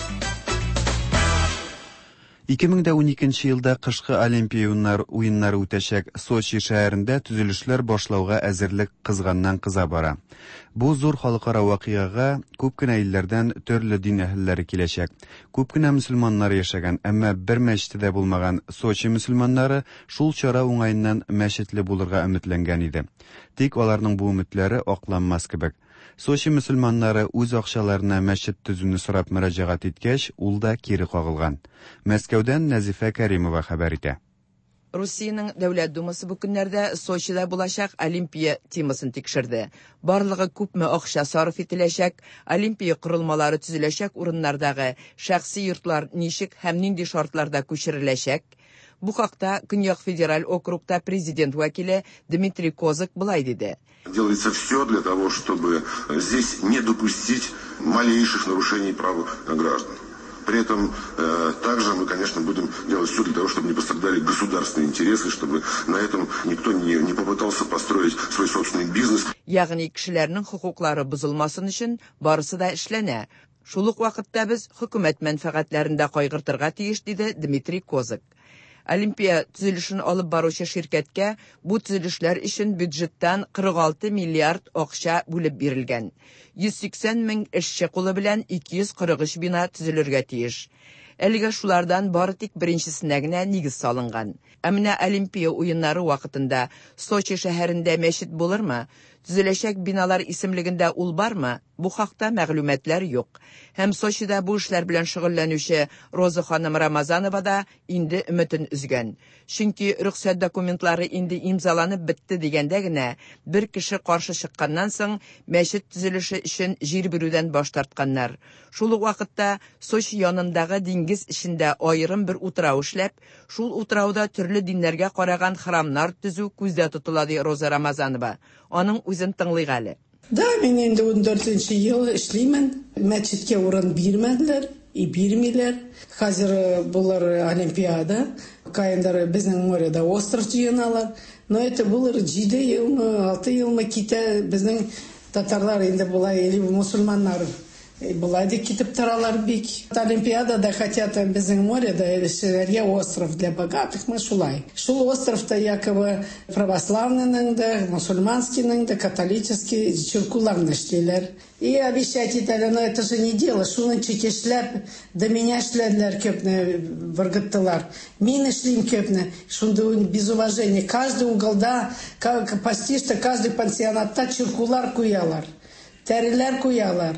2012 елда кышкы Олимпия уеннары үтәчәк Сочи шәһәрендә төзелешләр башлауга әзерлек кызганнан кыза бара. Бу зур халыкара вакыйгага күп кенә илләрдән төрле дин әһелләре киләчәк. Күп кенә мөселманнар яшәгән, әмма бер мәчете дә булмаган Сочи мөселманнары шул чара уңаеннан мәчетле булырга өметләнгән иде. Тик аларның бу өметләре акланмас кебек. Сочи мөселманнары үз акчаларына мәчет төзүне сорап мөрәҗәгать иткәч, ул да кире кагылган. Мәскәүдән Нәзифә Кәримова хәбәр итә. Русиянең Дәүләт Думасы бу көннәрдә Сочида булачак Олимпия темасын тикшерде. Барлыгы күпме акча сарыф ителәчәк, Олимпия корылмалары төзеләчәк урыннардагы шәхси йортлар ничек һәм нинди шартларда күчереләчәк? Бу хакта Көньяк федераль округта президент вәкиле Дмитрий Козак былай диде. Делается все для того, чтобы здесь не допустить малейших нарушений прав граждан. При этом также мы, конечно, будем делать все для того, чтобы не пострадали государственные интересы, чтобы на этом никто не попытался построить свой собственный бизнес. Ягъни кешеләрнең хокуклары бозылмасын өчен барысы да эшләнә. Шул ук вакытта без хөкүмәт мәнфәгатьләрен дә кайгыртырга тиеш, диде Дмитрий Козак. Олимпия төзелешен алып баручы ширкәткә бу төзелешләр өчен бюджеттан 46 миллиард акча бүлеп бирелгән. 180 мең эшче кулы белән 243 бина төзелергә тиеш. Әлегә шулардан бары тик беренчесенә генә нигез салынган. Ә менә Олимпия уеннары вакытында Сочи шәһәрендә мәчет булырмы? Төзеләчәк биналар исемлегендә ул бармы? Бу хакта мәгълүматлар юк. Һәм Сочида бу эшләр белән шөгыльләнүче Роза ханым Рамазанова да инде өметен өзгән. Чөнки рөхсәт документлары инде имзаланып бетте дигәндә генә бер кеше каршы чыкканнан соң мәчет төзелеше өчен җир бирүдән баш тартканнар. Шул ук вакытта Сочи янындагы диңгез эчендә аерым бер утрау эшләп, шул утрауда төрле диннәргә караган храмнар төзү күздә тотыла, ди Роза Рамазанова. Аның үзен тыңлыйк әле. Да, мин инде 14 ел эшлимен. Мәчеткә урын бирмәделәр и бирмиләр. Хәзер булыр Олимпиада. Каендар безнең моряда остров җыеналар. Но это булыр 7 елмы, 6 елмы китә безнең татарлар инде болай или мусульманнар болай да китеп торалар бик. Олимпиадада хотят безнең моряда эшләргә остров для богатых, мы шулай. Шул островта якобы православныйның да, мусульманскийның да, католический чиркуларны эшлиләр. И обещать итәләр, но это же не дело. Шуның эшләп, до меня эшләделәр күпне, выргыттылар. Мин эшлим күпне. Шунда без уважения. Каждый уголда, почти что каждый пансионатта чиркулар куялар. Тәреләр куялар.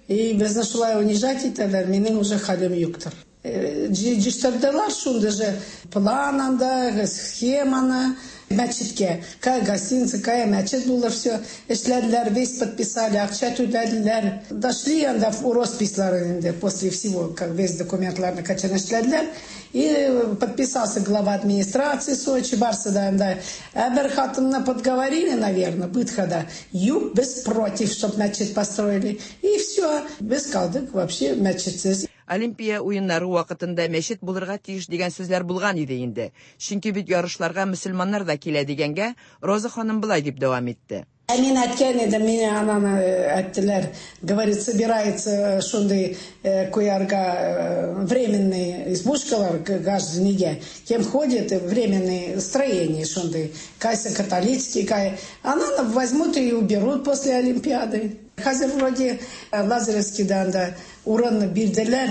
И безне шулай унижать итәләр, минем уже хәлем юктыр. Җыштырдылар шунда же план анда, схеманы, мәчеткә. Кая гостиница, кая мәчет булыр, все. Эшләделәр, весь подписали, акча түләделәр. Дошли анда в росписьлары инде после всего, как весь документларны качан эшләделәр. И подписался глава администрации Сочи, барсы да анда. Ә бер хатынны подговорили, наверное, бытхада. Юк, без против, чтоб мәчет построили. И все, без калдык вообще мәчетсез. Олимпия уеннары вакытында мәчет булырга тиеш дигән сүзләр булган иде инде. Чөнки бит ярышларга мөселманнар да килә дигәнгә Роза ханым болай дип дәвам итте. Ә мин әйткән идем, мине ананы әйттеләр, говорит, собирается шундый куярга временный избушкалар каждый неге. Кем ходит, временные строения шундый. Кайсы католический, кай. Ананы возьмут и уберут после Олимпиады. Хәзер вроде Лазаревскийда анда урын бирделәр,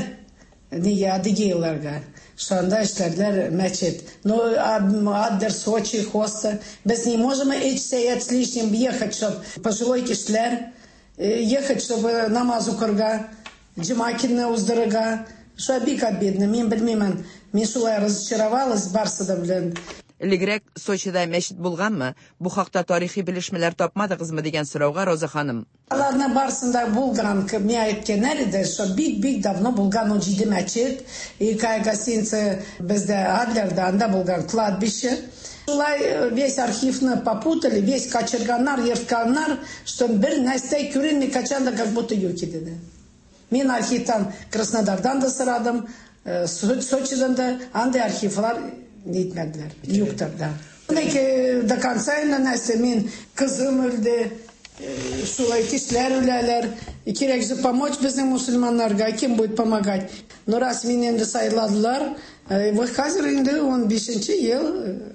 неге адыгейларга. Шунда эшләделәр мәчет. Но Аддер, Сочи, Хоста. Без не можем 8 сәгать с лишним ехать, чтоб пожилой кешеләр ехать, чтобы намаз укырга, җомга көнне уздырырга. Шулай бик обидно. Мин белмимен. Мин шулай разочаровалась барсы да белән. Элегрәк Сочида мәчет булганмы? Бу хакта тарихи белешмәләр тапмадыгызмы дигән сорауга Роза ханым. Аларны барсында булган, миңа әйткәннәр иде, что бик-бик давно булган 17 мәчет, и кая гостиница бездә Адлерда, анда булган кладбище. Шулай весь архивны попутали, весь качырганнар, ертканнар, что бер нәрсә күренми, качан да как будто юк иде. Мин архивтан Краснодардан да сорадым, Сочидан да, андый архивлар нитмәделәр, юктыр да. Ләкин до конца инде нәрсә, мин кызым үлде, шулай кешеләр үләләр. Кирәк же помочь безнең мусульманнарга, кем будет помогать? Но раз мине инде сайладылар, вот хәзер инде 15 ел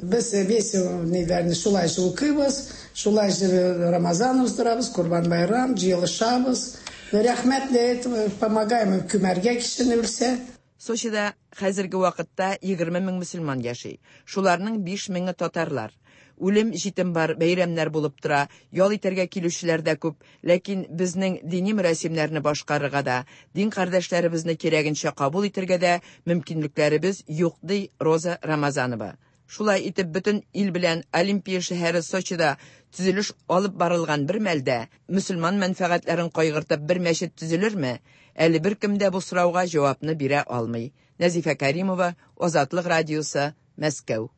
без весь ниләрне шулай же укыйбыз, шулай же Рамазан уздырабыз, Курбан байрам, җыелышабыз. Рәхмәт для этого помогаем күмәргә кешене үлсә. Сочида хәзерге вакытта 20 мең мөселман яши. Шуларның 5 меңе татарлар. Үлем җитем бар, бәйрәмнәр булып тора, ял итәргә килүчеләр дә күп, ләкин безнең дини мөрәсимнәрне башкарырга да, дин кардәшләребезне кирәгенчә кабул итәргә дә мөмкинлекләребез юк, ди Роза Рамазанова. Шулай итеп бөтен ил белән Олимпия шәһәре Сочида төзелеш алып барылган бер мәлдә мөселман мәнфәгатьләрен кайгыртып бер мәчет төзелерме? Әле беркем дә бу сорауга җавапны бирә алмый. Нәзифә Каримова, Азатлык радиосы, Мәскәү.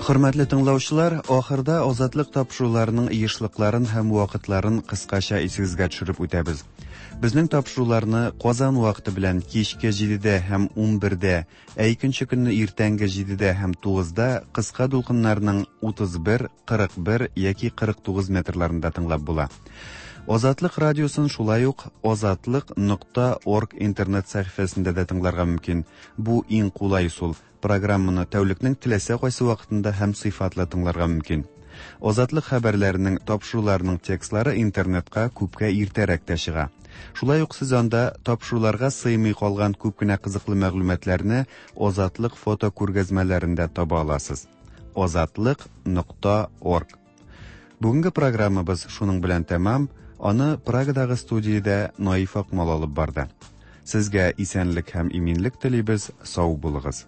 Хөрмәтле тыңлаучылар, ахырда Азатлык тапшыруларының ешлыкларын һәм вакытларын кыскача исегезгә төшереп үтәбез. Безнең тапшыруларны Казан вакыты белән кичке 7-дә һәм 11-дә, ә икенче көнне иртәнге 7-дә һәм 9-да кыска дулкыннарның 31, 41 яки 49 метрларында тыңлап була. Азатлык радиосын шулай ук азатлык нокта орг интернет сәхифәсендә дә тыңларга мөмкин. Бу иң кулай ысул. Программаны тәүлекнең теләсә кайсы вакытында һәм сыйфатлы тыңларга мөмкин. Азатлык хәбәрләренең, тапшыруларының текстлары интернетка күпкә иртәрәк тә чыга. Шулай ук сез анда тапшыруларга сыймый калган күп кенә кызыклы мәгълүматларны Азатлык фотокүргәзмәләрендә таба аласыз. Азатлык нокта орг. Бүгенге программабыз шуның белән тәмам. Аны Прагадагы студиядә Наиф Акмал алып барды. Сезгә исәнлек һәм иминлек телибез, сау булыгыз.